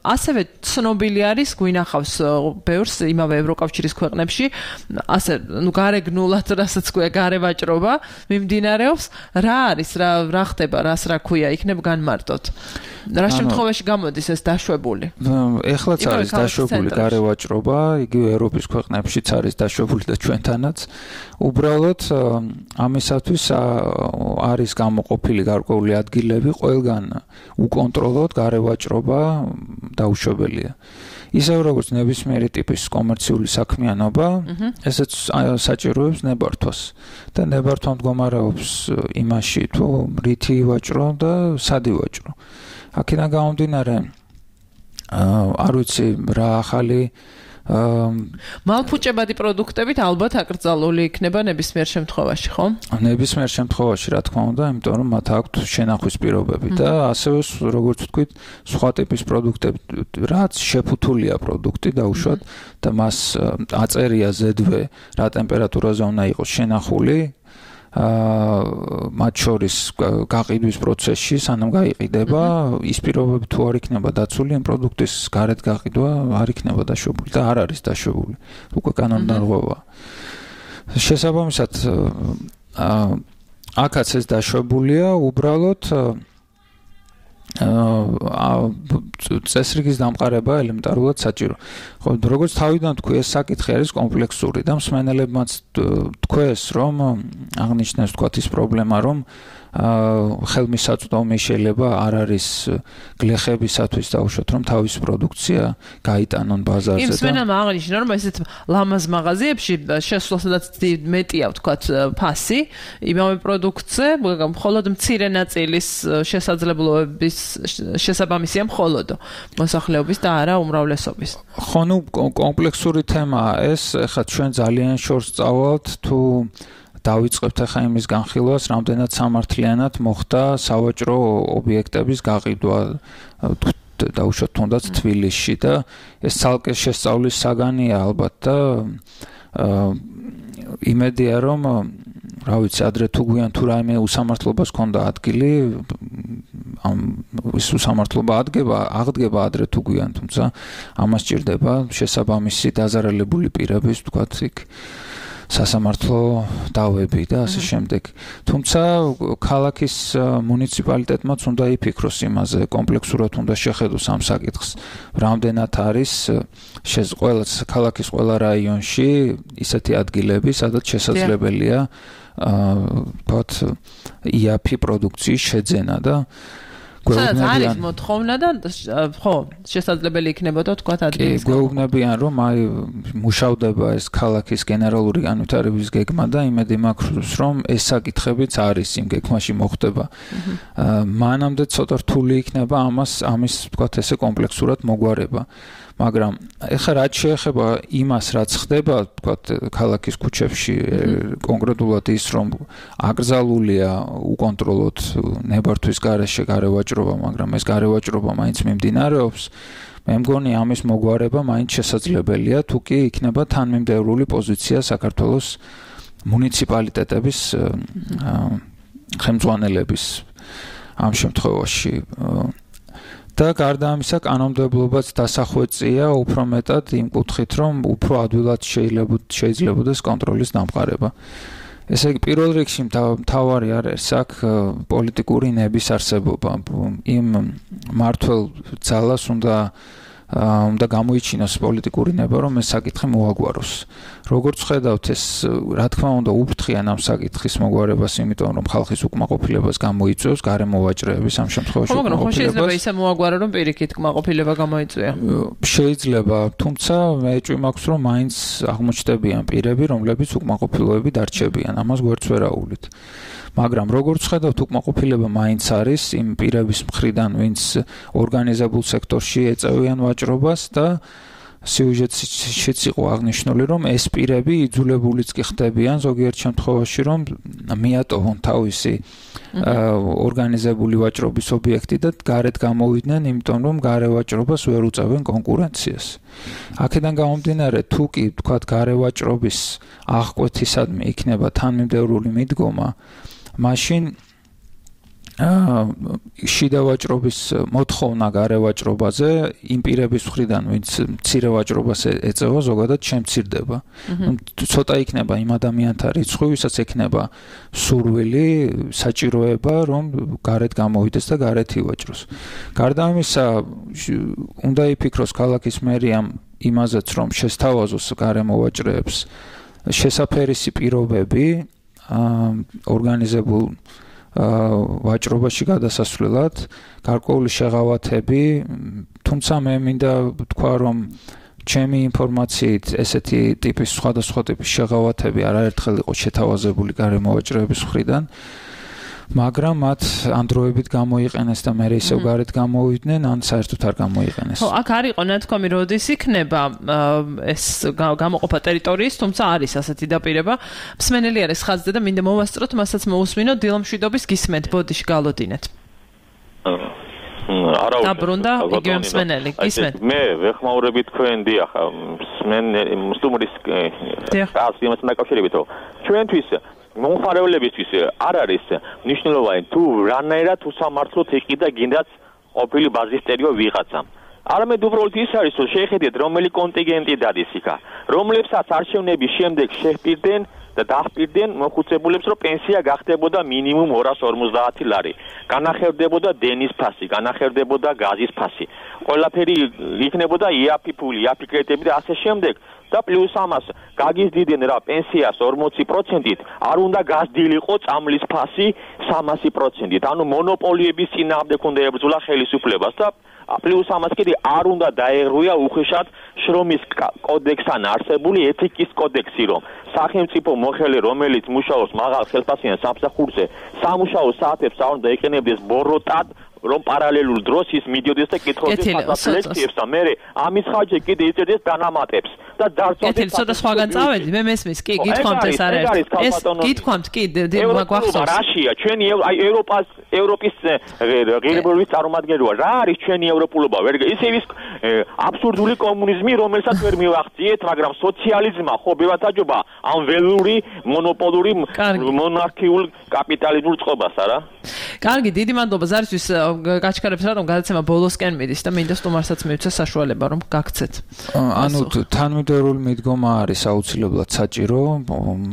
ასევე ცნობილი არის, გვინახავს ბევრს იმავე ევროკავშირის ქვეყნებში ასე გარეგნულად რასაც ქვია გარევაჭრობა მიმდინარეობს რა არის რა ხდება რას რა ქვია იქნებ განმარტოთ რა შემთხვევაში გამოდის ეს დაშვებული ეხლაც არის დაშვებული გარევაჭრობა იგივე ევროპის ქვეყნებშიც არის დაშვებული და ჩვენთანაც უბრალოდ ამისათვის არის გამოყოფილი გარკვეული ადგილები ყველგან უკონტროლოდ გარევაჭრობა დაუშვებელია ისევ როგორც ნებისმიერი ტიპის კომერციული საქმიანობა, ესეც საჭიროებს ნებართვას და ნებართვა მდგომარეობს იმაში, თუ რითი ვაჭრო და სად ვაჭრო. აქედან გამომდინარე, არ ვიცი რა ახალი მალფუჭებადი პროდუქტებით ალბათ აკრძალული იქნება ნებისმიერ შემთხვევაში, ხო? ნებისმიერ შემთხვევაში, რა თქმა უნდა, იმიტომ რომ მათ აქვთ შენახვის პირობები და ასევე როგორც ვთქვით, სხვა ტიპის პროდუქტები, რაც შეფუთულია პროდუქტი დაუშვათ და მას აწერია ზედვე, რა ტემპერატურაზე უნდა იყოს შენახული. მათ შორის გაყიდვის პროცესში სანამ გაიყიდება, ის პირობები თუ არ იქნება დაცული, ამ პროდუქტის გარეთ გაყიდვა არ იქნება დაშვებული და არ არის დაშვებული. უკვე კანონდარღვევაა. შესაბამისად, აქაც ეს დაშვებულია, უბრალოდ წესრიგის დამყარება ელემენტარულად საჭირო. ხო, როგორც თავიდან თქვი, ეს საკითხი არის კომპლექსური და მსმენელებმაც თქვეს, რომ აღნიშნეს თქვათ ის პრობლემა, რომ ხელმისაწვდომი შეიძლება არ არის გლეხებისათვის დაუშვათ, რომ თავის პროდუქცია გაიტანონ ბაზარზე და მსმენელმა აღნიშნა, რომ ესეთ ლამაზ მაღაზიებში შესვლასაც მეტია თქვათ ფასი იმავე პროდუქტზე, მხოლოდ მცირე ნაწილის შესაძლებლობების შესაბამისია მხოლოდ მოსახლეობის და არა უმრავლესობის. ხო, ნუ კომპლექსური თემაა ეს, ეხლა ჩვენ ძალიან შორს წავალთ თუ დავიწყებთ ახლა იმის განხილვას, რამდენად სამართლიანად მოხდა სავაჭრო ობიექტების გაყიდვა დაუშვათ თუნდაც თბილისში და ეს ცალკე შესწავლის საგანია ალბათ და იმედია რომ რა ვიცი ადრე თუ გვიან თუ რაიმე უსამართლობას ქონდა ადგილი ის უსამართლობა აღდგება ადრე თუ გვიან თუმცა ამას სჭირდება შესაბამისი დაზარალებული პირების თქვათ იქ სასამართლო დავები და ასე შემდეგ. თუმცა ქალაქის მუნიციპალიტეტმაც უნდა იფიქროს იმაზე, კომპლექსურად უნდა შეხედოს ამ საკითხს. რამდენად არის ყველა ქალაქის ყველა რაიონში ისეთი ადგილები, სადაც შესაძლებელია თქვათ იაფი პროდუქციის შეძენა და სადაც არის მოთხოვნა და ხო შესაძლებელი იქნებოდა თქვათ ადგილის გვეუბნებიან რომ აი მუშავდება ეს ქალაქის გენერალური განვითარების გეგმა და იმედი მაქვს რომ ეს საკითხებიც არის იმ გეგმაში მოხდება მანამდე ცოტა რთული იქნება ამის თქვათ ესე კომპლექსურად მოგვარება მაგრამ ეხლა რაც შეეხება იმას რაც ხდება თქვათ ქალაქის ქუჩებში კონკრეტულად ის რომ აკრძალულია უკონტროლოდ ნებართვის გარეშე გარევაჭრობა მაგრამ ეს გარევაჭრობა მაინც მიმდინარეობს მე მგონი ამის მოგვარება მაინც შესაძლებელია თუ კი იქნება თანმიმდევრული პოზიცია საქართველოს მუნიციპალიტეტების ხელმძღვანელების ამ შემთხვევაში და გარდა ამისა კანონმდებლობაც დასახვეწია უფრო მეტად იმ კუთხით რომ უფრო ადვილად შეიძლებაოდეს კონტროლის დამყარება. ესე იგი პირველ რიგში მთავარი არის აქ პოლიტიკური ნების არსებობა. იმ მართლ ძალას უნდა გამოიჩინოს პოლიტიკური ნება რომ ეს საკითხი მოაგვაროს. როგორც ხედავთ ეს რა თქმა უნდა უფრთხიან ამ საკითხის მოგვარებას იმიტომ რომ ხალხის უკმაყოფილებას გამოიწვევს გარემოვაჭრეების ამ შემთხვევაში მაგრამ ხო შეიძლება ისე მოაგვარო რომ პირიქით უკმაყოფილება გამოიწვია შეიძლება თუმცა მე ეჭვი მაქვს რომ მაინც აღმოჩნდებიან პირები რომლებიც უკმაყოფილოები დარჩებიან ამას გვერდს ვერ აუვლით მაგრამ როგორც ხედავთ უკმაყოფილება მაინც არის იმ პირების მხრიდან ვინც ორგანიზებულ სექტორში ეწევიან ვაჭრობას და სიუჟეტშიც იყო აღნიშნული რომ ეს პირები იძულებულიც კი ხდებიან ზოგიერთ შემთხვევაში რომ მიატოვონ თავისი ორგანიზებული ვაჭრობის ობიექტი და გარეთ გამოვიდნენ იმიტომ რომ გარევაჭრობას ვერ უწევენ კონკურენციას აქედან გამომდინარე თუ კი თქვათ გარევაჭრობის აღკვეთისადმი იქნება თანმიმდევრული მიდგომა მაშინ შიდა ვაჭრობის მოთხოვნა გარევაჭრობაზე იმ პირების მხრიდან ვინც მცირე ვაჭრობას ეწევა ზოგადად შემცირდება. ცოტა იქნება იმ ადამიანთა რიცხვი, ვისაც ექნება სურვილი, საჭიროება, რომ გარეთ გამოვიდეს და გარეთ ივაჭროს. გარდა ამისა, უნდა იფიქროს ქალაქის მერიამ იმაზეც, რომ შესთავაზოს გარემოვაჭრეებს შესაფერისი პირობები ორგანიზებულ ვაჭრობაში გადასასვლელად, გარკვეული შეღავათები, თუმცა მე მინდა ვთქვა, რომ ჩემი ინფორმაციით ესეთი ტიპის სხვადასხვა ტიპის შეღავათები არაერთხელ იყო შეთავაზებული გარემოვაჭრეების მხრიდან, მაგრამ მათ ამ დროებით გამოიყენეს და მე ისევ გარეთ გამოვიდნენ, ან საერთოდ არ გამოიყენეს. ხო, აქ არ იყო ნათქვამი, როდის იქნება ეს გამოყოფა ტერიტორიის, თუმცა არის ასეთი დაპირება. მსმენელი არის ხაზზე და მინდა მოვასწროთ, მასაც მოусმინოთ დილამშვიდობის გისმენთ, ბოდიში გალოდინეთ. დაბრუნდა იგივე მსმენელი, გისმენთ. მე ვეხმაურები თქვენ დიახ, სტუმრის ასიმას დაკავშირებით, რომ ჩვენთვის მომხმარებლებისთვის არ არის მნიშვნელოვანი თუ რანაირად უსამართლოდ იყიდა გინდაც ყოფილი ბაზისტერიო ვიღაცამ. არამედ უბრალოდ ის არის, რომ შეხედეთ რომელი კონტინგენტი დადის იქა, რომლებსაც არჩევნების შემდეგ შეჰპირდნენ და დაჰპირდნენ მოხუცებულებს, რომ პენსია გახდებოდა მინიმუმ 250 ლარი. განახერდებოდა დენის ფასი, განახერდებოდა გაზის ფასი. ყველაფერი იქნებოდა იაფი ფული, იაფი კრედიტები და ასე შემდეგ. და პლუს ამას გაგიზდიდნენ რა პენსიას 40%-ით, არ უნდა გაზრდილიყო წამლის ფასი 300%-ით. ანუ მონოპოლიების წინააღმდეგ უნდა ებრძოლა ხელისუფლებას და პლუს ამას კიდე არ უნდა დაეღრუია უხეშად შრომის კოდექსთან არსებული ეთიკის კოდექსი, რომ სახელმწიფო მოხელე, რომელიც მუშაობს მაღალ ხელფასიან სამსახურზე, სამუშაო საათებს არ უნდა ეყენებდეს ბოროტად, რომ პარალელურ დროს ის მიდიოდეს და კითხავდეს ლექციებს და მე ამის ხარჯზე კიდე იწერდეს დანამატებს და დარწმუნდით ცოტა სხვაგან წავედი მე მესმის კი გითხოვთ ეს არ არის ეს გითხოვთ კი გვახსოვს რაშია ჩვენი ევროპის ღირებულების წარმომადგენელია რა არის ჩვენი ევროპულობა ვერ ისე ის აბსურდული კომუნიზმი რომელსაც ვერ მივახციეთ მაგრამ სოციალიზმმა ხო ბევათაჯობა ამ ველური მონოპოლური მონარქიულ კაპიტალიზმურ წყობას არა კარგი დიდი მადლობა ზარისთვის გაჩქარებს რატომ გადაცემა ბოლოსკენ მიდის და მინდა სტუმარსაც მივცე საშუალება რომ გაგცეთ ანუ თანმიმდევრული მიდგომა არის აუცილებლად საჭირო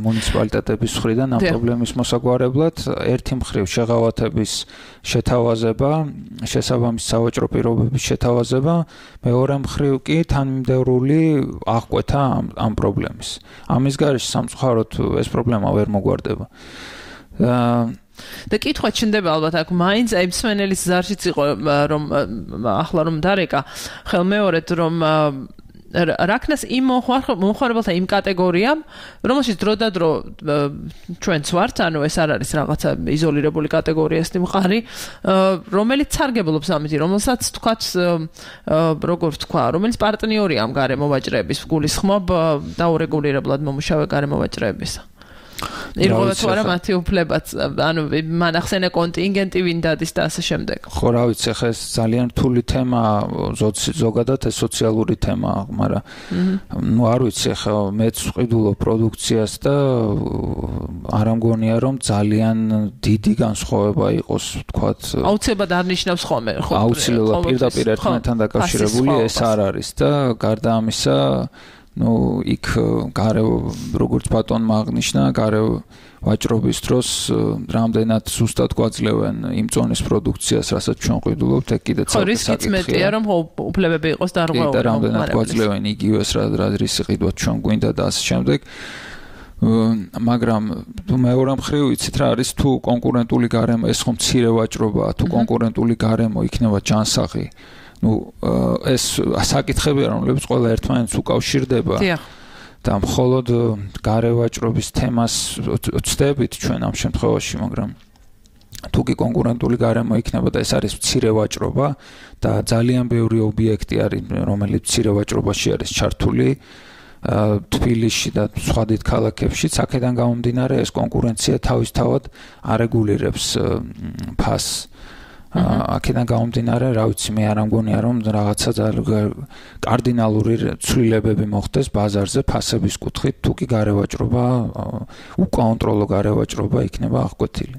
მუნიციპალიტეტების მხრიდან ამ პრობლემის მოსაგვარებლად ერთი მხრივ შეღავათების შეთავაზება შესაბამის სავაჭრო პირობების შეთავაზება მეორე მხრივ კი თანმიმდევრული აღკვეთა ამ პრობლემის ამის გარეშე სამწუხაროდ ეს პრობლემა ვერ მოგვარდება და კითხვა ჩნდება ალბათ აქ მაინც აი მსმენელის ზარშიც იყო რომ ახლა რომ დარეკა ხელმეორედ რომ რაკნას იმ მომხმარებელთა იმ კატეგორიამ რომელშიც დროდადრო ჩვენც ვართ ანუ ეს არ არის რაღაცა იზოლირებული კატეგორიასი მყარი რომელიც სარგებლობს ამით რომელსაც თქვათ როგორ თქვა რომელიც პარტნიორია ამ გარემოვაჭრეების გულისხმობ დაურეგულირებლად მომუშავე გარემოვაჭრეებისა ირღვევა თუ არა მათი უფლებაც ანუ მან ახსენა კონტინგენტი ვინ დადის და ასე შემდეგ ხო რა ვიცი ხა ეს ძალიან რთული თემა ზოგადად ეს სოციალური თემაა მაგრამ ნუ არ ვიცი ხა მეც ვყიდულობ პროდუქციას და არ ამგონია რომ ძალიან დიდი განსხვავება იყოს თქვათ აუცილებლად არ ნიშნავს ხოლმე ხო აუცილებლად პირდაპირ ერთმანეთთან დაკავშირებული ეს არ არის და გარდა ამისა ну იქ გარე როგორც ბატონმა აღნიშნა გარე ვაჭრობის დროს რამდენად სუსტად გვაძლევენ იმ წონის პროდუქციას რასაც ჩვენ ყიდულობთ ეგ კიდე ცოტა საკითხია რომ უფლებები იყოს დარღვეული და რამდენად გვაძლევენ იგივეს რა რისი ყიდვა ჩვენ გვინდა და ასე შემდეგ მაგრამ მეორე მხრივ იცით რა არის თუ კონკურენტული გარემო ეს ხომ მცირე ვაჭრობაა თუ კონკურენტული გარემო იქნება ჯანსაღი ну ეს საკითხებია რომლებიც ყველა ერთმანეთს უკავშირდება და მხოლოდ გარევაჭრობის თემას ვწდებით ჩვენ ამ შემთხვევაში მაგრამ თუ კი კონკურენტული გარემო იქნება და ეს არის მცირე ვაჭრობა და ძალიან ბევრი ობიექტი არის რომელიც მცირე ვაჭრობაში არის ჩართული თბილისში და სხვა დიდ ქალაქებში აქედან გამომდინარე ეს კონკურენცია თავისთავად არეგულირებს ფასს აქედან გამომდინარე, რა ვიცი, მე არ ამგონია რომ რაღაცა კარდინალური ცვლილებები მოხდეს ბაზარზე ფასების კუთხით, თუ კი გარევაჭრობა, უკონტროლო გარევაჭრობა იქნება აღკვეთილი.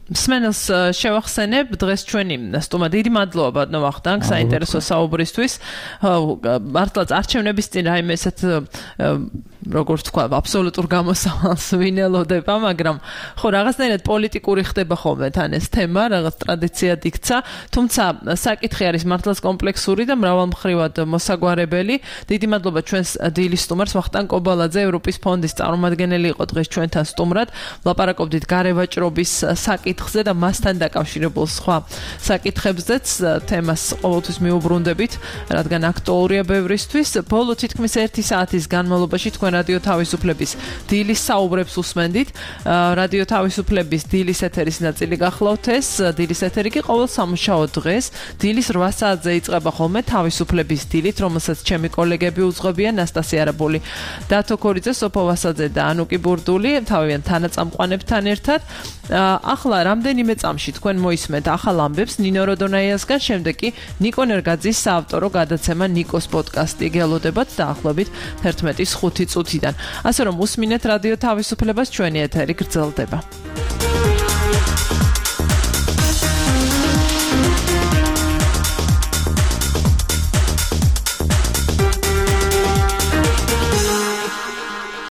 სმენელს შევახსენებ დღეს ჩვენი სტუმარი დიდი მადლობა ბატონო ვახტანგ საინტერესო საუბრისთვის მართლაც არჩევნების წინ რაიმე ესეთ როგორც თქვა აბსოლუტურ გამოსავალს ვინელოდება მაგრამ ხო რაღაცნაირად პოლიტიკური ხდება ხოლმე თან ეს თემა რაღაც ტრადიციად იქცა თუმცა საკითხი არის მართლაც კომპლექსური და მრავალმხრივად მოსაგვარებელი დიდი მადლობა ჩვენს დილის სტუმარს ვახტანგ კობალაძე ევროპის ფონდის წარმომადგენელი იყო დღეს ჩვენთან სტუმრად ვლაპარაკობდით გარევაჭრობის საკითხზე და მასთან დაკავშირებულ სხვა საკითხებზეც თემას ყოველთვის მიუბრუნდებით რადგან აქტუალურია ბევრისთვის ბოლო თითქმის 1 საათის განმავლობაში თქვენ რადიო თავისუფლების დილის საუბრებს უსმენდით რადიო თავისუფლების დილის ეთერის ნაწილი გახლავთ ეს დილის ეთერი კი ყოველ სამუშაო დღეს დილის 8 საათზე იწყება ხოლმე თავისუფლების დილით რომელსაც ჩემი კოლეგები უძღვებიან ნასტასია არაბული დათო ქორიძე სოფო ვასაძე და ანუკი ბურდული თავიანთ თანაწამყვანებთან ერთად ახლა რამდენიმე წამში თქვენ მოისმენთ ახალ ამბებს ნინო როდონაიასგან შემდეგ კი ნიკო ნერგაძის საავტორო გადაცემა ნიკოს პოდკასტი გელოდებათ დაახლოებით 11:05 წუთიდან ასე რომ უსმინეთ რადიო თავისუფლებას ჩვენი ეთერი გრძელდება